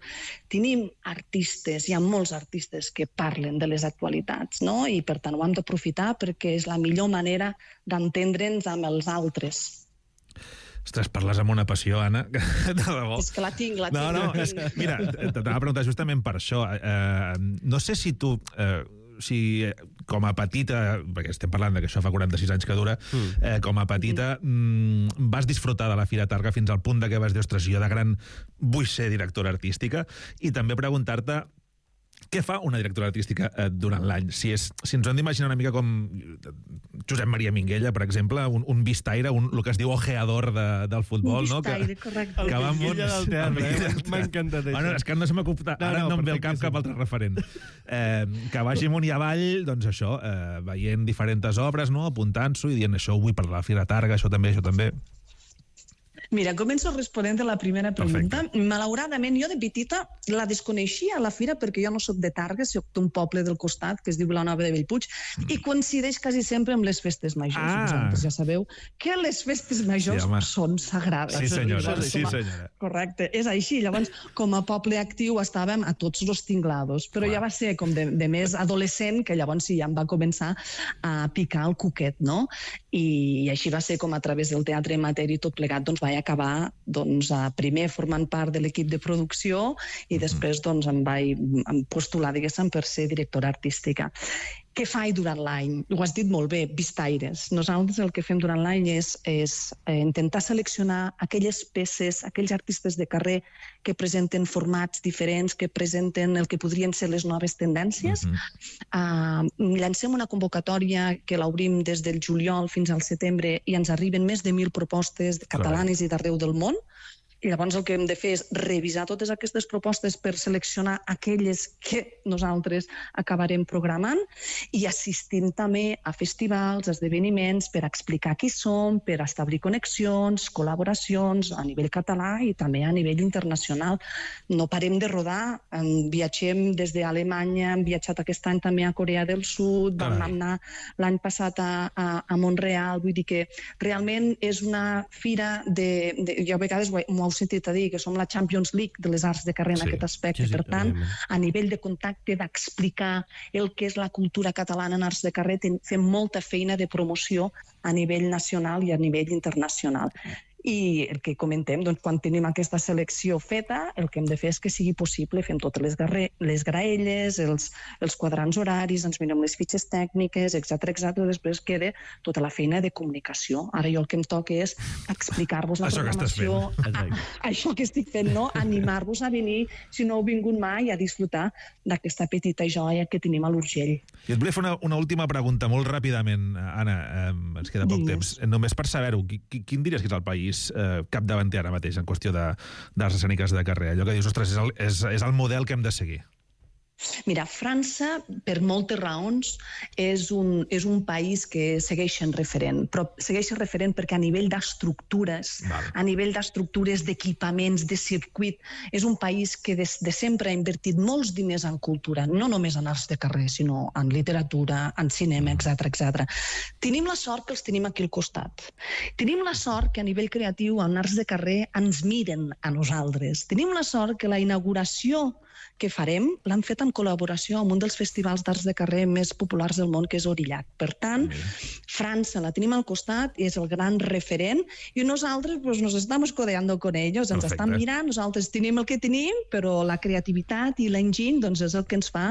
Tenim artistes, hi ha molts artistes que parlen de les actualitats, no? I per tant ho hem d'aprofitar perquè és la millor manera d'entendre'ns amb els altres. Ostres, parles amb una passió, Anna, de debò. És que la tinc. Mira, t'anava a preguntar justament per això. No sé si tu, com a petita, perquè estem parlant que això fa 46 anys que dura, com a petita vas disfrutar de la Fira Targa fins al punt que vas dir, ostres, jo de gran vull ser directora artística, i també preguntar-te què fa una directora artística durant l'any? Si ens ho hem d'imaginar una mica com Josep Maria Minguella, per exemple, un vistaire, el que es diu ojeador del futbol, no? Un vistaire, correcte. El Minguella del teatre, m'ha encantat això. Bueno, és que no se m'acupa, ara no em ve al cap cap altre referent. Que vagi amunt i avall, doncs això, veient diferents obres, apuntant-s'ho i dient això ho vull per la Fira Targa, això també, això també. Mira, començo responent a la primera pregunta. Perfecte. Malauradament, jo de petita la desconeixia a la fira perquè jo no soc de Targa, soc d'un poble del costat que es diu Vilanova de Bellpuig i coincideix quasi sempre amb les festes majors. Vosaltres ja sabeu que les festes majors són sagrades. Sí, senyora. Sí, senyora. Correcte, és així. Llavors, com a poble actiu estàvem a tots los tinglados, però ja va ser com de més adolescent que llavors sí, ja em va començar a picar el cuquet, no? I així va ser com a través del teatre amateur i tot plegat vaig acabar primer formant part de l'equip de producció i després em vaig postular, diguéssim, per ser directora artística. Què faig durant l'any? Ho has dit molt bé, vistaires. Nosaltres el que fem durant l'any és intentar seleccionar aquelles peces, aquells artistes de carrer que presenten formats diferents, que presenten el que podrien ser les noves tendències. Llancem una convocatòria que l'obrim des del juliol fins al setembre i ens arriben més de 1.000 propostes catalanes i d'arreu del món. I llavors el que hem de fer és revisar totes aquestes propostes per seleccionar aquelles que nosaltres acabarem programant i assistint també a festivals, esdeveniments, per explicar qui som, per establir connexions, col·laboracions a nivell català i també a nivell internacional. No parem de rodar, viatgem des d'Alemanya, hem viatjat aquest any també a Corea del Sud, vam anar l'any passat a Montreal, vull dir que realment és una fira jo a vegades m'ho heu sentit a dir, que som la Champions League de les arts de carrer en aquest aspecte. Per tant, a nivell de contacte, d'explicar el que és la cultura catalana en arts de carrer, fem molta feina de promoció a nivell nacional i a nivell internacional. I el que comentem, doncs, quan tenim aquesta selecció feta, el que hem de fer és que sigui possible, fem totes les graelles, els quadrants horaris, ens mirem les fitxes tècniques, etc. Després queda tota la feina de comunicació. Ara jo el que em toca és explicar-vos la programació, això que estic fent, no? Animar-vos a venir, si no heu vingut mai, a disfrutar d'aquesta petita joia que tenim a l'Urgell. I et volia fer una última pregunta, molt ràpidament, Anna, ens queda poc temps. Només per saber-ho, quin diries que és el país capdavanter ara mateix en qüestió d'arts escèniques de carrer? Allò que dius, ostres, és el model que hem de seguir. Mira, França, per moltes raons, és un país que segueix sent referent, però segueix sent referent perquè a nivell d'estructures, a nivell d'estructures, d'equipaments, de circuit, és un país que des de sempre ha invertit molts diners en cultura, no només en arts de carrer, sinó en literatura, en cinema, etc. Tenim la sort que els tenim aquí al costat. Tenim la sort que a nivell creatiu, en arts de carrer, ens miren a nosaltres. Tenim la sort que la inauguració que farem l'han fet en col·laboració amb un dels festivals d'arts de carrer més populars del món, que és Aurillac. Per tant, França la tenim al costat i és el gran referent i nosaltres nos estamos codeando con ellos, ens estan mirant, nosaltres tenim el que tenim, però la creativitat i l'enginy és el que ens fa,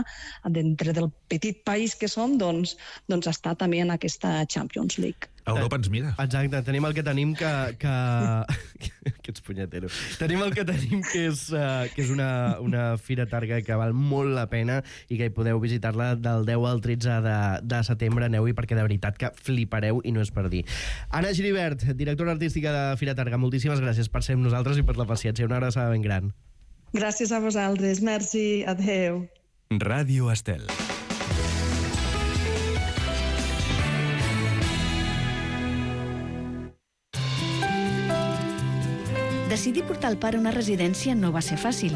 dintre del petit país que som, estar també en aquesta Champions League. Europa ens mira. Exacte, tenim el que tenim que... que ets punyetero. Tenim el que tenim que és una fira targa que val molt la pena i que hi podeu visitar-la del 10 al 13 de setembre. Aneu-hi perquè de veritat que flipareu i no és per dir. Anna Giribert, directora artística de Fira Targa, moltíssimes gràcies per ser amb nosaltres i per la paciència. Una abraçada ben gran. Gràcies a vosaltres. Merci. Adéu. Ràdio Estel. Decidir portar el pare a una residència no va ser fàcil,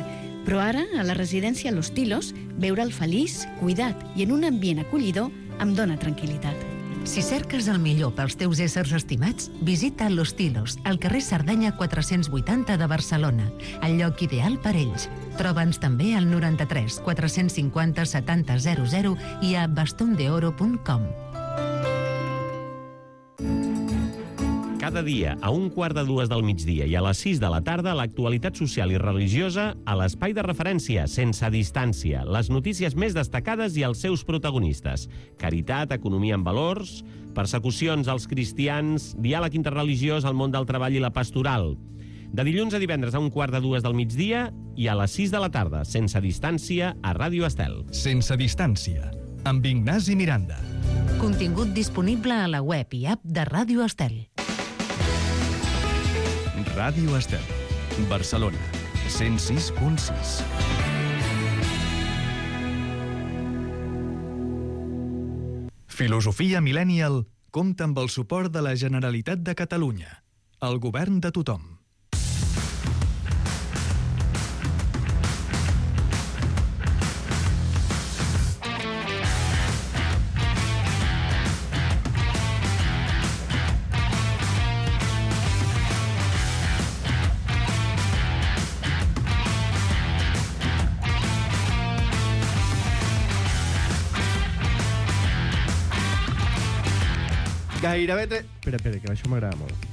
però ara, a la residència Los Tilos, veure'l feliç, cuidat i en un ambient acollidor em dóna tranquil·litat. Si cerques el millor pels teus éssers estimats, visita Los Tilos, al carrer Cerdanya 480 de Barcelona, el lloc ideal per ells. Troba'ns també al 93 450 70 00 i a bastondeoro.com. Cada dia, a 1:45 del migdia i a les 6 de la tarda, l'actualitat social i religiosa a l'espai de referència, sense distància, les notícies més destacades i els seus protagonistes. Caritat, economia en valors, persecucions als cristians, diàleg interreligiós al món del treball i la pastoral. De dilluns a divendres a 1:45 del migdia i a les 6 de la tarda, sense distància, a Ràdio Estel. Sense distància, amb Ignasi Miranda. Contingut disponible a la web i app de Ràdio Estel. Ràdio Estel, Barcelona, 106.6. Filosofia Millennial compta amb el suport de la Generalitat de Catalunya, el govern de tothom. Gairebé... Espera, que això m'agrada molt.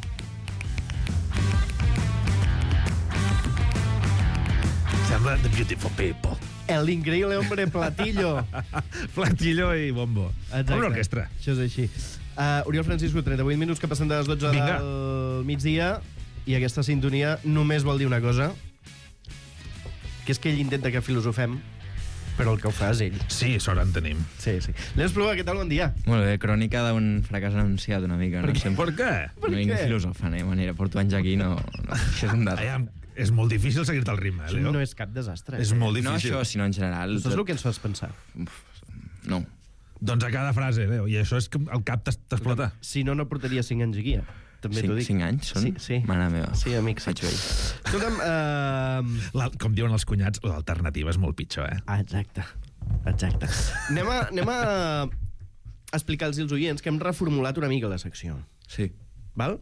Sembla The Beautiful People. El increïble hombre Platillo. Platillo i bombo. Exacte. Com l'orquestra. Això és així. Oriol Francisco, 38 minuts que passen de les 12 del migdia i aquesta sintonia només vol dir una cosa, que és que ell intenta que filosofem, però el que ho fa és ell. Sí, sort en tenim. Sí. L'Eus Plua, què tal? Bon dia. Molt bé, crònica d'un fracàs anunciat una mica. Per què? Per què? No vinc filosofant, manera. Porto anys aquí, no... Això és un desastre. És molt difícil seguir-te el ritme, Leo. No és cap desastre. És molt difícil. No això, sinó en general. Això és el que ens fas pensar. No. Doncs a cada frase, Leo, i això és que el cap t'explota. Si no, no portaria 5 anys aquí, també t'ho dic. 5 anys són? Sí. Mare meva. Sí, amics. Faig vell. Escolta'm... Com diuen els cunyats, l'alternativa és molt pitjor, eh? Exacte. Anem a explicar-los als oients que hem reformulat una mica la secció. Sí. Val?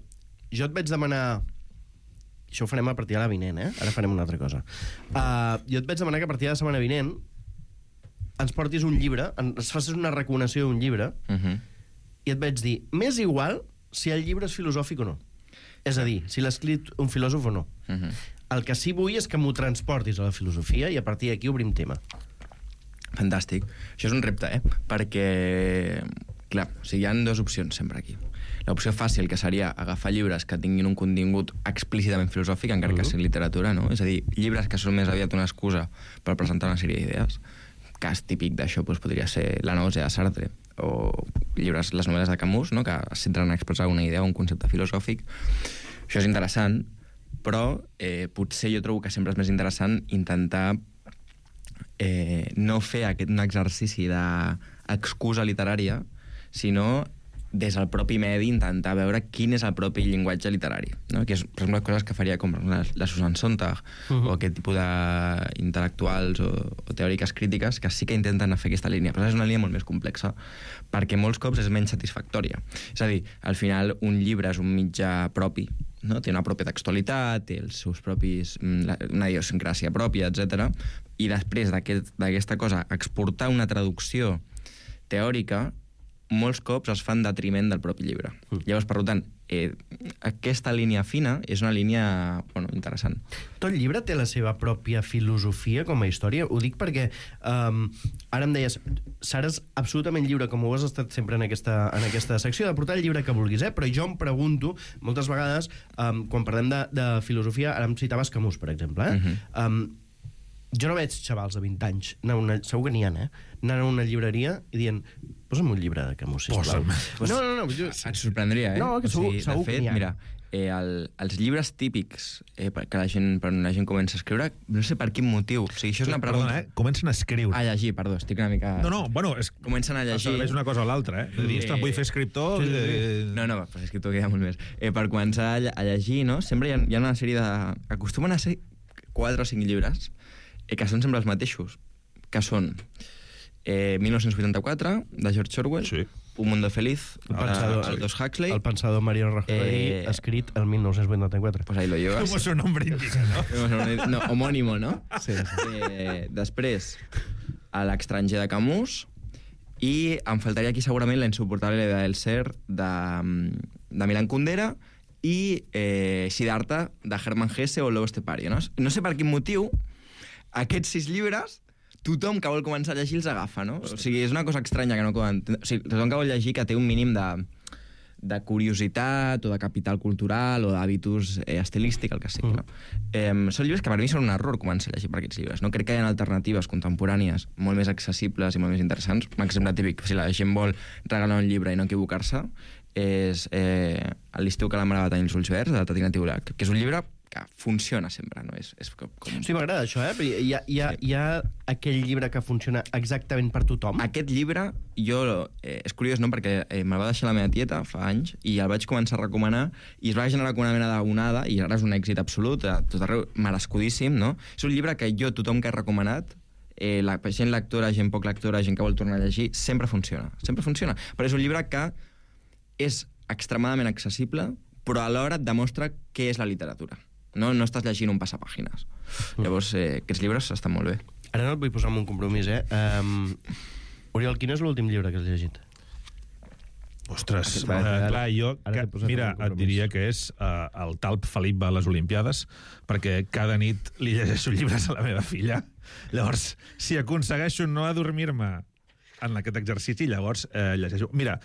Jo et vaig demanar... Això ho farem a partir de la vinent, eh? Ara farem una altra cosa. Jo et vaig demanar que a partir de la setmana vinent ens portis un llibre, ens facis una recomanació d'un llibre, i et vaig dir, m'és igual si el llibre és filosòfic o no. És a dir, si l'ha escrit un filòsof o no. El que sí vull és que m'ho transportis a la filosofia i a partir d'aquí obrim tema. Fantàstic. Això és un repte, perquè, clar, o sigui, hi ha dues opcions sempre aquí. L'opció fàcil, que seria agafar llibres que tinguin un contingut explícitament filosòfic, encara que sigui literatura, no? És a dir, llibres que són més aviat una excusa per presentar una sèrie d'idees. Cas típic d'això podria ser La Nausea de Sartre, o llibres, les novel·les de Camus, no? Que es centren a expressar una idea o un concepte filosòfic. Això és interessant, però potser jo trobo que sempre és més interessant intentar no fer un exercici d'excusa literària, sinó des del propi medi intentar veure quin és el propi llenguatge literari, no? Que és, per exemple, coses que faria com la Susan Sontag o aquest tipus d'intel·lectuals o teòriques crítiques que sí que intenten fer aquesta línia, però és una línia molt més complexa perquè molts cops és menys satisfactòria. És a dir, al final un llibre és un mitjà propi, no? Té una pròpia textualitat, té els seus propis, una idiosincràsia pròpia, etc. I després d'aquesta cosa, exportar una traducció teòrica molts cops es fan detriment del propi llibre. Llavors, per tant, aquesta línia fina és una línia interessant. Tot llibre té la seva pròpia filosofia com a història? Ho dic perquè ara em deies, seràs absolutament lliure, com ho has estat sempre en aquesta secció, de portar el llibre que vulguis, però jo em pregunto, moltes vegades, quan parlem de filosofia, ara em citaves Camus, per exemple, jo no veig xavals de 20 anys, segur que n'hi ha, anant a una llibreria i dient, posa'm un llibre de Camus, sisplau. No. Et sorprendria, No, que segur que n'hi ha. Mira, els llibres típics que la gent comença a escriure, no sé per quin motiu. O sigui, això és una pregunta... Perdona, comencen a escriure. A llegir, perdó, estic una mica... No, bueno, comencen a llegir... Serveix una cosa o l'altra, De dir, ostres, vull fer escriptor... No, per escriptor queda molt més. Per començar a llegir, no? Sempre hi ha una sèrie de... Acostumen a ser 4 o 5 llibres que són sempre els mateixos, que són 1984, de George Orwell, Un mundo feliz, Aldous Huxley... El pensador Mario Rajoy, escrit el 1984. Pues ahí lo llevas. Como su nombre indica, ¿no? No, homónimo, ¿no? Sí. Després, a l'Estranger de Camus, i em faltaria aquí segurament La insuportable idea del ser, de Milan Kundera, i Siddhartha, de Hermann Hesse o Lobo Estepario, no? No sé per quin motiu aquests 6 llibres, tothom que vol començar a llegir els agafa, no? O sigui, és una cosa estranya que no poden... O sigui, tothom que vol llegir que té un mínim de curiositat o de capital cultural o d'hàbitus estilístic, el que sigui, no? Són llibres que per mi són un error començar a llegir per aquests llibres, no? Crec que hi ha alternatives contemporànies molt més accessibles i molt més interessants. Un exemple típic, si la gent vol regalar un llibre i no equivocar-se, és L'estiu que la mare va tenir els ulls verds, de Tatiana Tiulak, que és un llibre que funciona sempre, no? És com... Sí, m'agrada això, Hi ha aquell llibre que funciona exactament per tothom? Aquest llibre, és curiós, no?, perquè me'l va deixar la meva tieta fa anys i el vaig començar a recomanar i es va generar com una mena d'onada i ara és un èxit absolut, a tot arreu, merescudíssim, no? És un llibre que tothom que he recomanat, gent lectora, gent poc lectora, gent que vol tornar a llegir, sempre funciona, però és un llibre que és extremadament accessible, però alhora et demostra què és la literatura. No estàs llegint un passapàgines. Llavors, aquests llibres estan molt bé. Ara no et vull posar en un compromís, Oriol, quin és l'últim llibre que has llegit? Ostres, clar, jo... Mira, et diria que és el talp Felip a les Olimpiades, perquè cada nit li llegeixo llibres a la meva filla. Llavors, si aconsegueixo no adormir-me en aquest exercici, llavors llegeixo... Mira,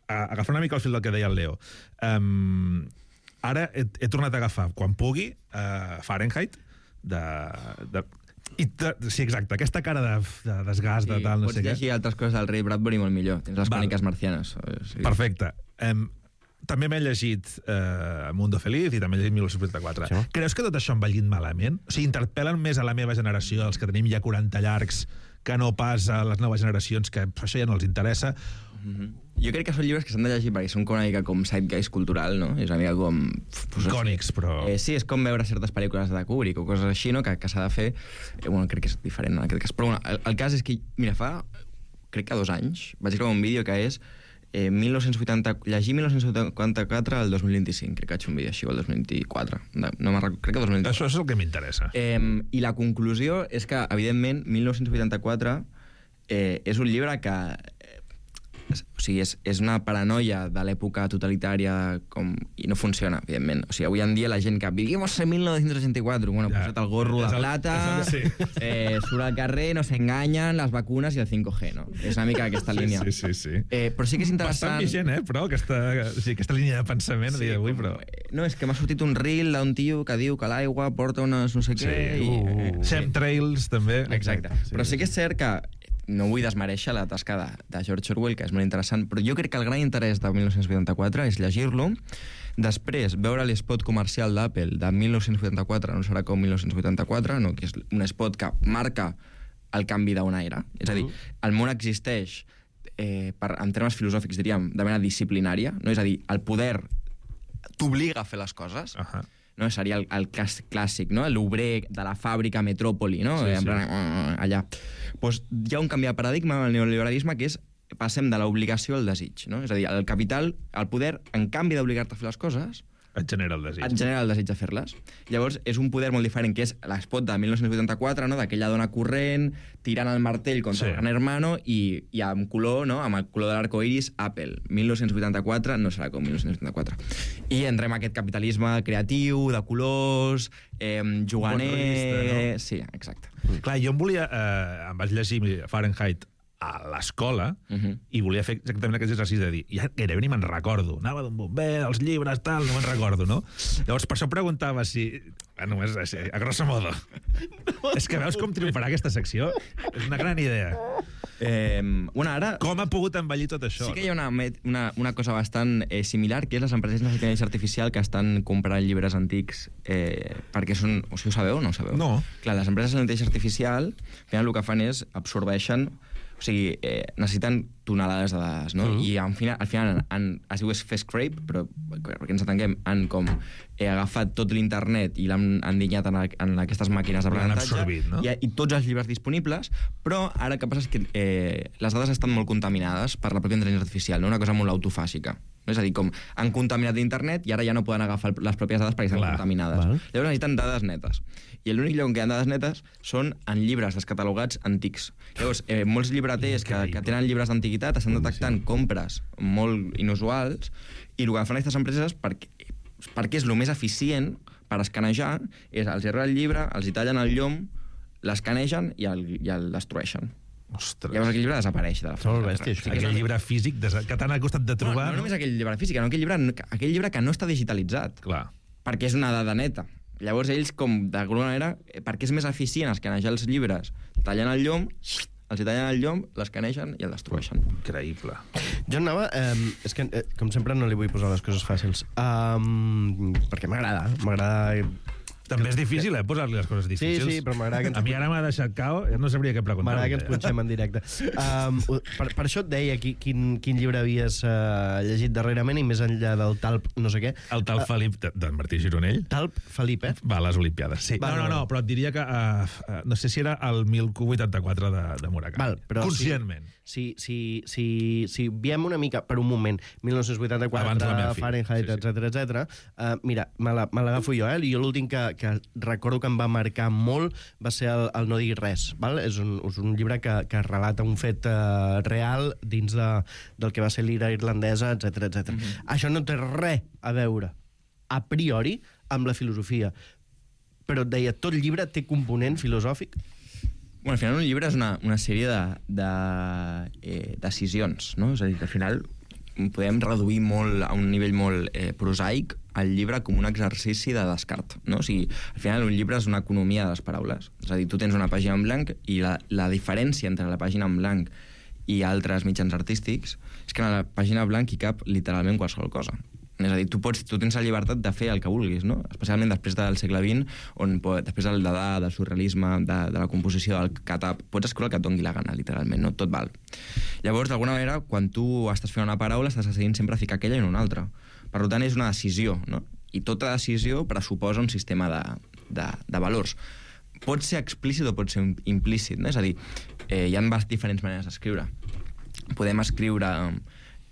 agafar una mica el fil del que deia el Leo. Ara he tornat a agafar, quan pugui, Fahrenheit, sí, exacte, aquesta cara de desgast, de tal, no sé què. Pots llegir altres coses del Ray Bradbury molt millor. Tens les cròniques marcianes. Perfecte. També m'he llegit Mundo Feliz i també he llegit 1984. Sí. Creus que tot això em valguin malament? O sigui, interpel·len més a la meva generació, els que tenim ja 40 llargs, que no pas a les noves generacions, que això ja no els interessa? Jo crec que són llibres que s'han de llegir perquè són una mica com zeitgeist cultural, no? És una mica com... Icònics, però... Sí, és com veure certes pel·lícules de Kubrick o coses així, no? Que s'ha de fer... Crec que és diferent en aquest cas. Però el cas és que, mira, crec que 2 anys vaig gravar un vídeo que és llegir 1984 al 2025. Crec que vaig fer un vídeo així, el 2024. No me'n recordo, crec que 2024. Això és el que m'interessa. I la conclusió és que, evidentment, 1984 és un llibre que o sigui, és una paranoia de l'època totalitària i no funciona, evidentment. O sigui, avui en dia la gent que vivimos en 1984, bueno, posat el gorro de plata, surt al carrer, no s'enganyen, les vacunes i el 5G, no? És una mica aquesta línia. Sí. Però sí que és interessant... Bastant vigent, però, aquesta línia de pensament a dia d'avui, però... No, és que m'ha sortit un reel d'un tio que diu que l'aigua porta unes no sé què... Chemtrails, també. Exacte. Però sí que és cert que no vull desmereixer la tasca de George Orwell, que és molt interessant, però jo crec que el gran interès de 1984 és llegir-lo, després veure l'espot comercial d'Apple de 1984, no serà com 1984, no, que és un spot que marca el canvi d'un aire. És a dir, el món existeix, en termes filosòfics, diríem, de manera disciplinària, no? És a dir, el poder t'obliga a fer les coses, no? Seria el cas clàssic, no? L'obrer de la fàbrica Metròpoli, no? Allà. Pues hi ha un canvi de paradigma en el neoliberalisme que és passem de l'obligació al desig, no? És a dir, el capital, el poder, en canvi d'obligar-te a fer les coses, et genera el desig. Et genera el desig de fer-les. Llavors, és un poder molt diferent, que és l'espot de 1984, no? D'aquella dona corrent, tirant el martell contra el gran hermano i amb color, no? Amb el color de l'arcoiris, Apple. 1984 no serà com 1984. I entrem a aquest capitalisme creatiu, de colors, juganer... No? Sí, exacte. Clar, jo em vaig llegir Fahrenheit a l'escola i volia fer exactament aquest exercici de dir, ja gairebé ni me'n recordo, anava d'un bomber, els llibres, tal, no me'n recordo, no? Llavors, per això preguntava si... Només a grosso modo. És que veus com triomfarà aquesta secció? És una gran idea. Ara... Com ha pogut envellir tot això? Sí que hi ha una cosa bastant similar, que és les empreses d'intel·ligència artificial que estan comprant llibres antics perquè són... O sigui, ho sabeu o no ho sabeu? No. Clar, les empreses d'intel·ligència artificial, al final el que fan és absorbeixen... O sigui, necessiten tonelades de dades, no? I al final es diu fer scrape, però perquè ens atenguem, han com agafat tot l'internet i l'han endinyat en aquestes màquines d'aprenentatge, no? I tots els llibres disponibles, però ara el que passa és que les dades estan molt contaminades per la pròpia intel·ligència artificial, no? Una cosa molt autofàgica. És a dir, com han contaminat l'internet i ara ja no poden agafar les pròpies dades perquè estan contaminades. Llavors necessiten dades netes. I l'únic lloc on queden dades netes són en llibres descatalogats antics. Llavors, molts llibreters que tenen llibres d'antiguitat estan detectant compres molt inusuals i el que fan aquestes empreses, perquè és el més eficient per escanejar, és els erra el llibre, els hi tallen el llom, l'escanegen i el destrueixen. Ostres. Llavors aquell llibre desapareix de la fotografia. Molt bèstia, aquell llibre físic que t'han costat de trobar... No només aquell llibre físic, aquell llibre que no està digitalitzat. Clar. Perquè és una dada neta. Llavors ells, com d'alguna manera, perquè és més eficient escanejar els llibres, tallen el llom, l'escanegen i el destrueixen. Increïble. Jo anava... és que, com sempre, no li vull posar les coses fàcils. Perquè m'agrada. També és difícil, posar-li les coses difícils. Sí, però m'agrada que ens... A mi ara m'ha deixat cao, no sabria què preguntar. M'agrada que ens punxem en directe. Per això et deia quin llibre havies llegit darrerament i més enllà del Talp no sé què. El Talp Felip d'en Martí Gironell. Talp Felip, Va a les Olimpiades, sí. No, però et diria que no sé si era el 1084 de Murakami. Conscientment. Si viem una mica, per un moment, 1984, Fahrenheit, etc. Mira, me l'agafo jo, i jo l'últim que recordo que em va marcar molt va ser el No diguis res. És un llibre que relata un fet real dins del que va ser l'ira irlandesa, etc. Això no té res a veure, a priori, amb la filosofia. Però et deia, tot llibre té component filosòfic? Bueno, al final un llibre és una sèrie de decisions, no? És a dir, que al final podem reduir molt a un nivell molt prosaic el llibre com un exercici de descart, no? O sigui, al final un llibre és una economia de les paraules. És a dir, tu tens una pàgina en blanc i la diferència entre la pàgina en blanc i altres mitjans artístics és que en la pàgina en blanc hi cap literalment qualsevol cosa. És a dir, tu tens la llibertat de fer el que vulguis, no? Especialment després del segle XX, on després del Dada, del surrealisme, de la composició del Catap, pots escriure el que et doni la gana, literalment, no? Tot val. Llavors, d'alguna manera, quan tu estàs fent una paraula, estàs decidint sempre ficar aquella i no una altra. Per tant, és una decisió, no? I tota decisió pressuposa un sistema de valors. Pot ser explícit o pot ser implícit, no? És a dir, hi ha diferents maneres d'escriure. Podem escriure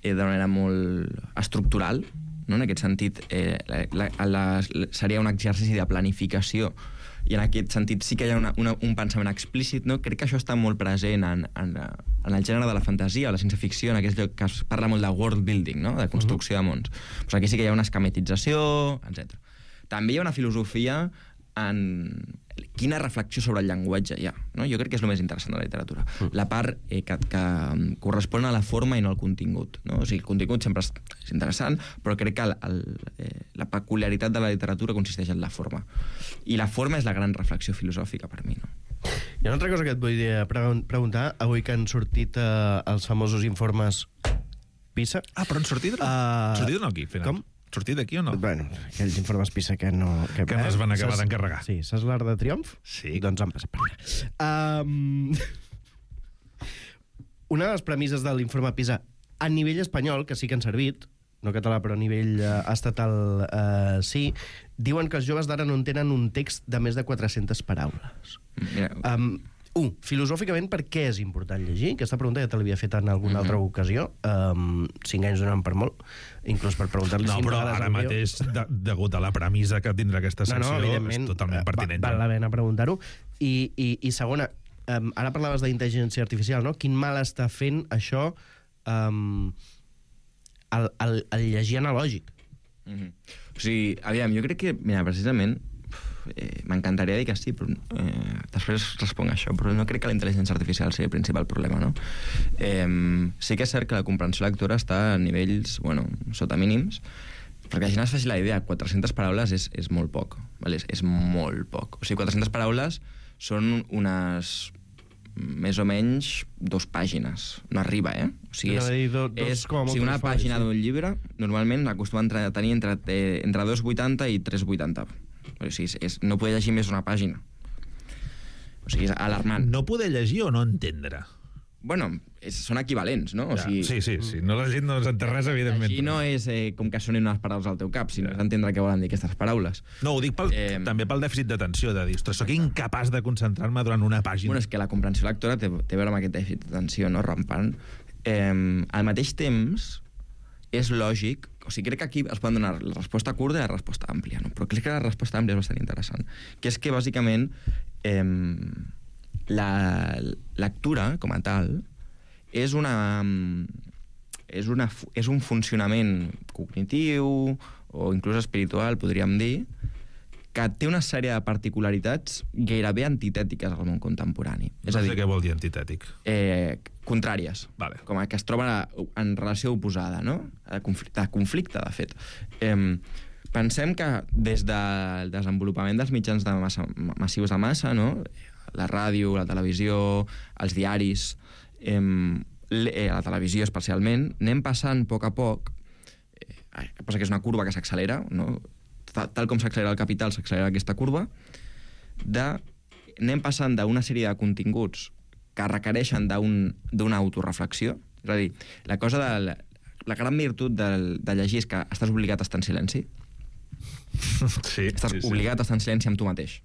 d'una manera molt estructural, no? En aquest sentit, seria un exercici de planificació i en aquest sentit sí que hi ha un pensament explícit, no? Crec que això està molt present en el gènere de la fantasia o la ciència-ficció, en aquest lloc que es parla molt de world building, no? De construcció de mons. Pues aquí sí que hi ha una esquematització, etc. També hi ha una filosofia en quina reflexió sobre el llenguatge hi ha, no? Jo crec que és el més interessant de la literatura. La part que correspon a la forma i no al contingut, no? O sigui, el contingut sempre és interessant, però crec que la peculiaritat de la literatura consisteix en la forma. I la forma és la gran reflexió filosòfica per mi, no? Hi ha una altra cosa que et vull preguntar, avui que han sortit els famosos informes PISA. Però han sortit? Sortit o no aquí, al final? Com? Sortit d'aquí o no? Bueno, aquells informes PISA que no... Que no es van acabar d'encarregar. Sí, saps l'Arc de Triomf? Sí. Doncs han passat per allà. Una de les premisses de l'informe PISA a nivell espanyol, que sí que han servit, no català, però a nivell estatal sí, diuen que els joves d'ara no entenen un text de més de 400 paraules. Filosòficament, per què és important llegir? Aquesta pregunta ja te l'havia fet en alguna altra ocasió. 5 anys donen per molt, inclús per preguntar-li... No, però ara mateix, degut a la premissa que tindrà aquesta secció, és totalment pertinent. Val la pena preguntar-ho. I segona, ara parlaves d'intel·ligència artificial, no? Quin mal està fent això el llegir analògic? O sigui, aviam, jo crec que, mira, precisament, m'encantaria dir que sí, però després responc a això, però no crec que la intel·ligència artificial sigui el principal problema, no? Sí que és cert que la comprensió lectora està a nivells, bueno, sota mínims, perquè la gent es faci la idea, 400 paraules és molt poc, ¿vale? És molt poc. O sigui, 400 paraules són unes més o menys 2 pàgines. No arriba, O sigui, una pàgina d'un llibre normalment acostuma a tenir entre 2,80 i 3,80. O sigui, no poder llegir més d'una pàgina. O sigui, és alarmant. No poder llegir o no entendre? Bueno, són equivalents, no? O sigui, sí. No llegir no s'entén res, evidentment. Llegir no és com que sonin unes paraules al teu cap, sinó és entendre què volen dir aquestes paraules. No, ho dic també pel dèficit d'atenció, de dir, ostres, soc incapaç de concentrar-me durant una pàgina. Bueno, és que la comprensió lectora té a veure amb aquest dèficit d'atenció, no? Rampant. Al mateix temps, és lògic, o sigui, crec que aquí es poden donar la resposta curta i la resposta àmplia, no? Però crec que la resposta àmplia és bastant interessant, que és que, bàsicament, la lectura, com a tal, és un funcionament cognitiu o inclús espiritual, podríem dir, que té una sèrie de particularitats gairebé antitètiques al món contemporani. És a dir, què vol dir antitètic? Contràries, com que es troben en relació oposada, no? De conflicte, de fet. Pensem que des del desenvolupament dels mitjans massius de massa, no? La ràdio, la televisió, els diaris, la televisió especialment, anem passant a poc, que passa que és una curva que s'accelera, no? Tal com s'accelera el capital, s'accelera aquesta curva, anem passant d'una sèrie de continguts que requereixen d'una autoreflexió. És a dir, la gran virtut de llegir és que estàs obligat a estar en silenci. Estàs obligat a estar en silenci amb tu mateix.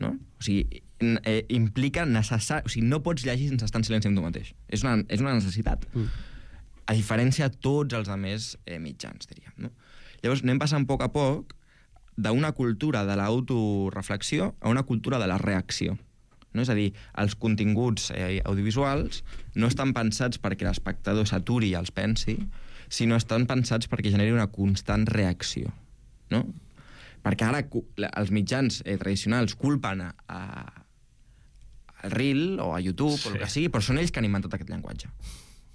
No? O sigui, implica necessari... O sigui, no pots llegir sense estar en silenci amb tu mateix. És una necessitat. A diferència de tots els altres mitjans, diríem. No? Llavors, anem passant a poc d'una cultura de l'autoreflexió a una cultura de la reacció. No? És a dir, els continguts audiovisuals no estan pensats perquè l'espectador s'aturi i els pensi, sinó estan pensats perquè generi una constant reacció. No? Perquè ara els mitjans tradicionals culpen al Reel o a YouTube o el que sigui, però són ells que han inventat aquest llenguatge.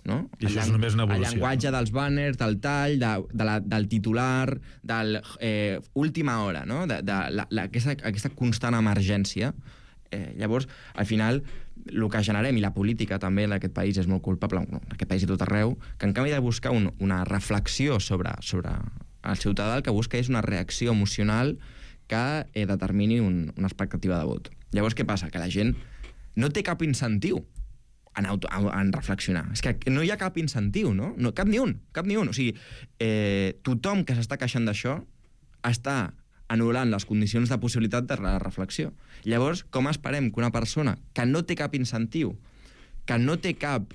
No? I això és només una evolució. El llenguatge dels banners, del tall, del titular, del última hora, no? Aquesta constant emergència. Llavors, al final, el que generem, i la política també en aquest país és molt culpable, en aquest país i tot arreu, que en canvi de buscar una reflexió sobre el ciutadà, el que busca és una reacció emocional que determini una expectativa de vot. Llavors, què passa? Que la gent no té cap incentiu en reflexionar. És que no hi ha cap incentiu, no? Cap ni un. O sigui, tothom que s'està queixant d'això està anul·lant les condicions de possibilitat de la reflexió. Llavors, com esperem que una persona que no té cap incentiu, que no té cap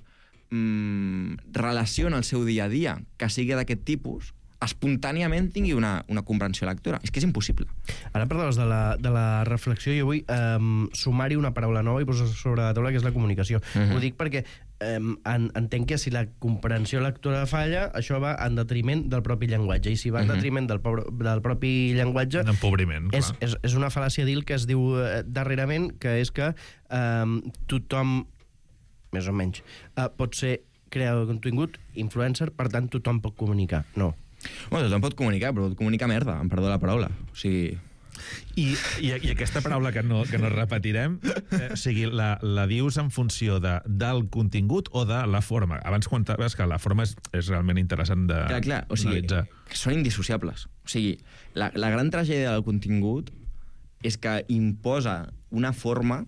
relació en el seu dia a dia, que sigui d'aquest tipus, espontàniament tingui una comprensió lectora. És que és impossible. Ara parlaves de la reflexió i vull sumar-hi una paraula nova i posar sobre la taula, que és la comunicació. Ho dic perquè entenc que si la comprensió lectora falla, això va en detriment del propi llenguatge, i si va en detriment del propi llenguatge... Un empobriment, clar. És una fal·làcia dir que es diu darrerament, que és que tothom, més o menys, pot ser creador de contingut, influencer, per tant tothom pot comunicar. No. Bueno, tothom pot comunicar, però pot comunicar merda, em perdó la paraula. O sigui... I aquesta paraula que no repetirem, o sigui, la dius en funció del contingut o de la forma? Abans comentaves que la forma és realment interessant de clar, o sigui, que són indissociables. O sigui, la gran tragèdia del contingut és que imposa una forma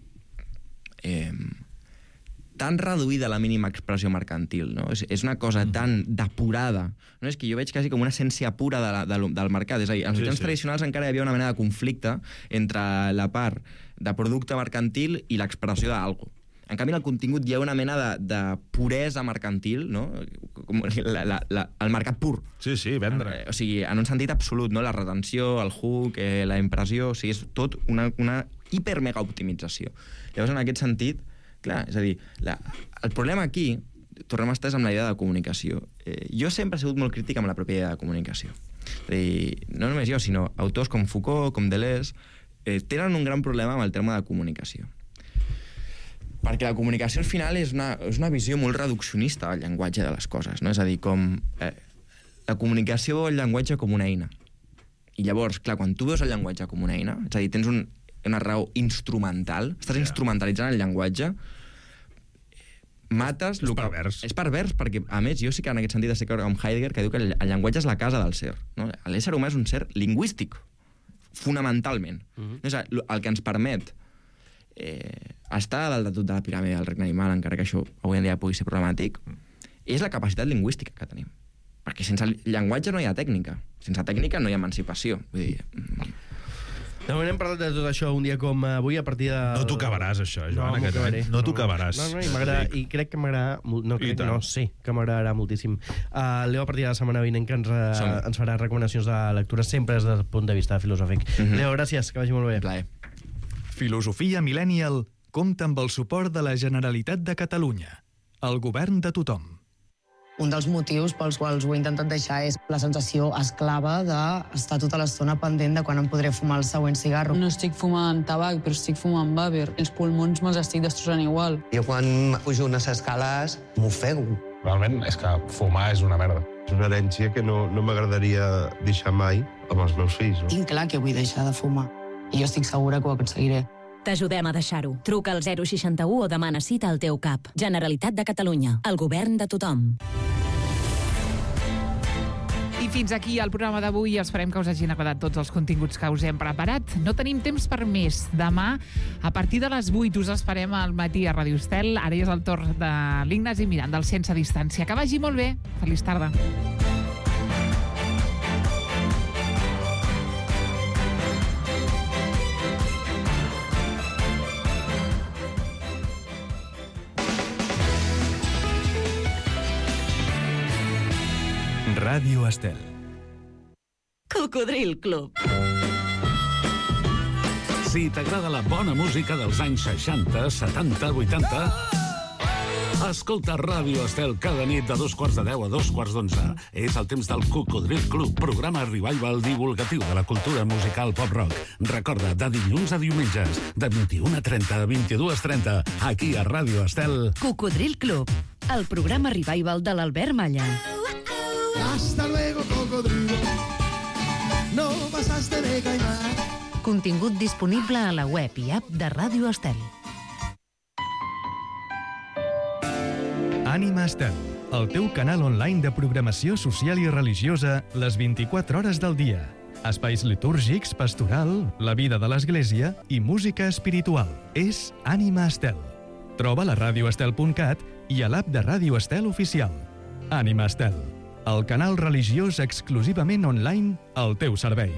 tan reduïda a la mínima expressió mercantil, no? És una cosa tan depurada, no? És que jo veig quasi com una essència pura del mercat. És a dir, en els mitjans tradicionals encara hi havia una mena de conflicte entre la part de producte mercantil i l'expressió d'algo. En canvi, en el contingut hi ha una mena de puresa mercantil, no? Com el mercat pur. Sí, vendre. O sigui, en un sentit absolut, no? La retenció, el hook, la impressió, o sigui, és tot una hiper-mega-optimització. Llavors, en aquest sentit, clar, és a dir, el problema aquí, tornem a estar amb la idea de comunicació. Jo sempre he sigut molt crític amb la pròpia idea de comunicació. És a dir, no només jo, sinó autors com Foucault, com Deleuze, tenen un gran problema amb el terme de comunicació. Perquè la comunicació al final és una visió molt reduccionista del llenguatge de les coses, no? És a dir, com la comunicació veu el llenguatge com una eina. I llavors, clar, quan tu veus el llenguatge com una eina, és a dir, tens una raó instrumental, estàs instrumentalitzant el llenguatge, mates... És pervers. És pervers, perquè, a més, jo sí que en aquest sentit estic amb Heidegger, que diu que el llenguatge és la casa del ser. No? L'ésser humà és un ser lingüístic, fonamentalment. És el que ens permet estar dalt de tot de la piràmide del regne animal, encara que això avui en dia pugui ser problemàtic, és la capacitat lingüística que tenim. Perquè sense llenguatge no hi ha tècnica. Sense tècnica no hi ha emancipació. Vull dir... De moment hem parlat de tot això un dia com avui a partir de... No t'ho acabaràs, això, Joan, no t'ho acabaràs. I crec que m'agradarà... sí, que m'agradarà moltíssim. Leo, a partir de la setmana vinent, que ens farà recomanacions de lectura sempre des del punt de vista filosòfic. Leo, gràcies, que vagi molt bé. Plaer. Filosofia Millennial compta amb el suport de la Generalitat de Catalunya, el govern de tothom. Un dels motius pels quals ho he intentat deixar és la sensació esclava d'estar tota l'estona pendent de quan em podré fumar el següent cigarro. No estic fumant tabac, però estic fumant vàper. Els pulmons me'ls estic destrossant igual. Jo quan pujo unes escales m'ofego. Realment és que fumar és una merda. És una herència que no m'agradaria deixar mai amb els meus fills. No? Tinc clar que vull deixar de fumar i jo estic segura que ho aconseguiré. T'ajudem a deixar-ho. Truca al 061 o demana cita al teu CAP. Generalitat de Catalunya. El govern de tothom. I fins aquí el programa d'avui. Esperem que us hagin agradat tots els continguts que us hem preparat. No tenim temps per més. Demà, a partir de les 8, us esperem al matí a Ràdio Estel. Ara és el torn de l'Ignasi Miranda, del Sense Distància. Que vagi molt bé. Feliç tarda. Ràdio Estel. Cocodril Club. Si t'agrada la bona música dels anys 60, 70, 80... Escolta Ràdio Estel cada nit de 2:45 a 2:11. És el temps del Cocodril Club, programa revival divulgatiu de la cultura musical pop-rock. Recorda, de dilluns a diumenges, de 21:30 a 22:30, aquí a Ràdio Estel. Cocodril Club, el programa revival de l'Albert Malla. Hasta luego, cocodrilo. No pasaste de caimán. Contingut disponible a la web i app de Ràdio Estel. Ànima Estel, el teu canal online de programació social i religiosa les 24 hores del dia. Espais litúrgics, pastoral, la vida de l'Església i música espiritual. És Ànima Estel. Troba-la a radioestel.cat i a l'app de Ràdio Estel oficial. Ànima Estel, el canal religiós exclusivament online al teu servei.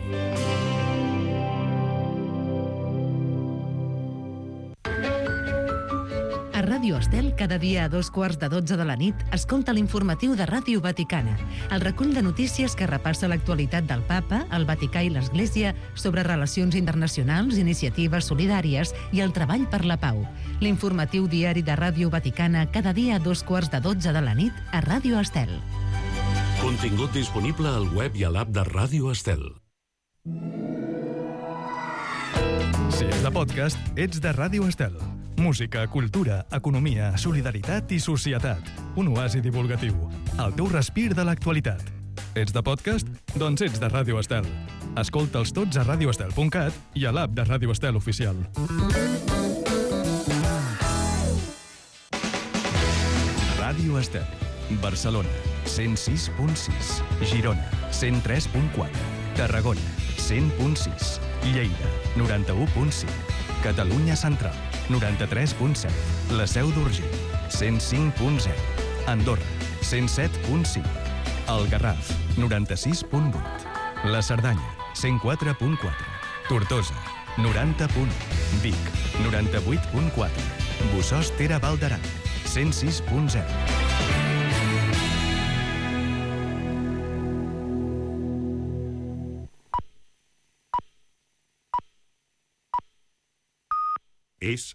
A Ràdio Estel, cada dia a 2:15 de la nit, escolta l'informatiu de Ràdio Vaticana, el recull de notícies que repassa l'actualitat del Papa, el Vaticà i l'Església sobre relacions internacionals, iniciatives solidàries i el treball per la pau. L'informatiu diari de Ràdio Vaticana, cada dia a 2:15 de la nit, a Ràdio Estel. Contingut disponible al web i a l'app de Ràdio Estel. Si ets de podcast, ets de Ràdio Estel. Música, cultura, economia, solidaritat i societat. Un oasi divulgatiu. El teu respir de l'actualitat. Ets de podcast? Doncs ets de Ràdio Estel. Escolta'ls tots a radioestel.cat i a l'app de Ràdio Estel oficial. Ràdio Estel. Barcelona, 106.6. Girona, 103.4. Tarragona, 100.6. Lleida, 91.5. Catalunya Central, 93.7. La Seu d'Urgell, 105.0. Andorra, 107.5. El Garraf, 96.8. La Cerdanya, 104.4. Tortosa, 90.1. Vic, 98.4. Bossòst Tere Baldaran, 106.0. És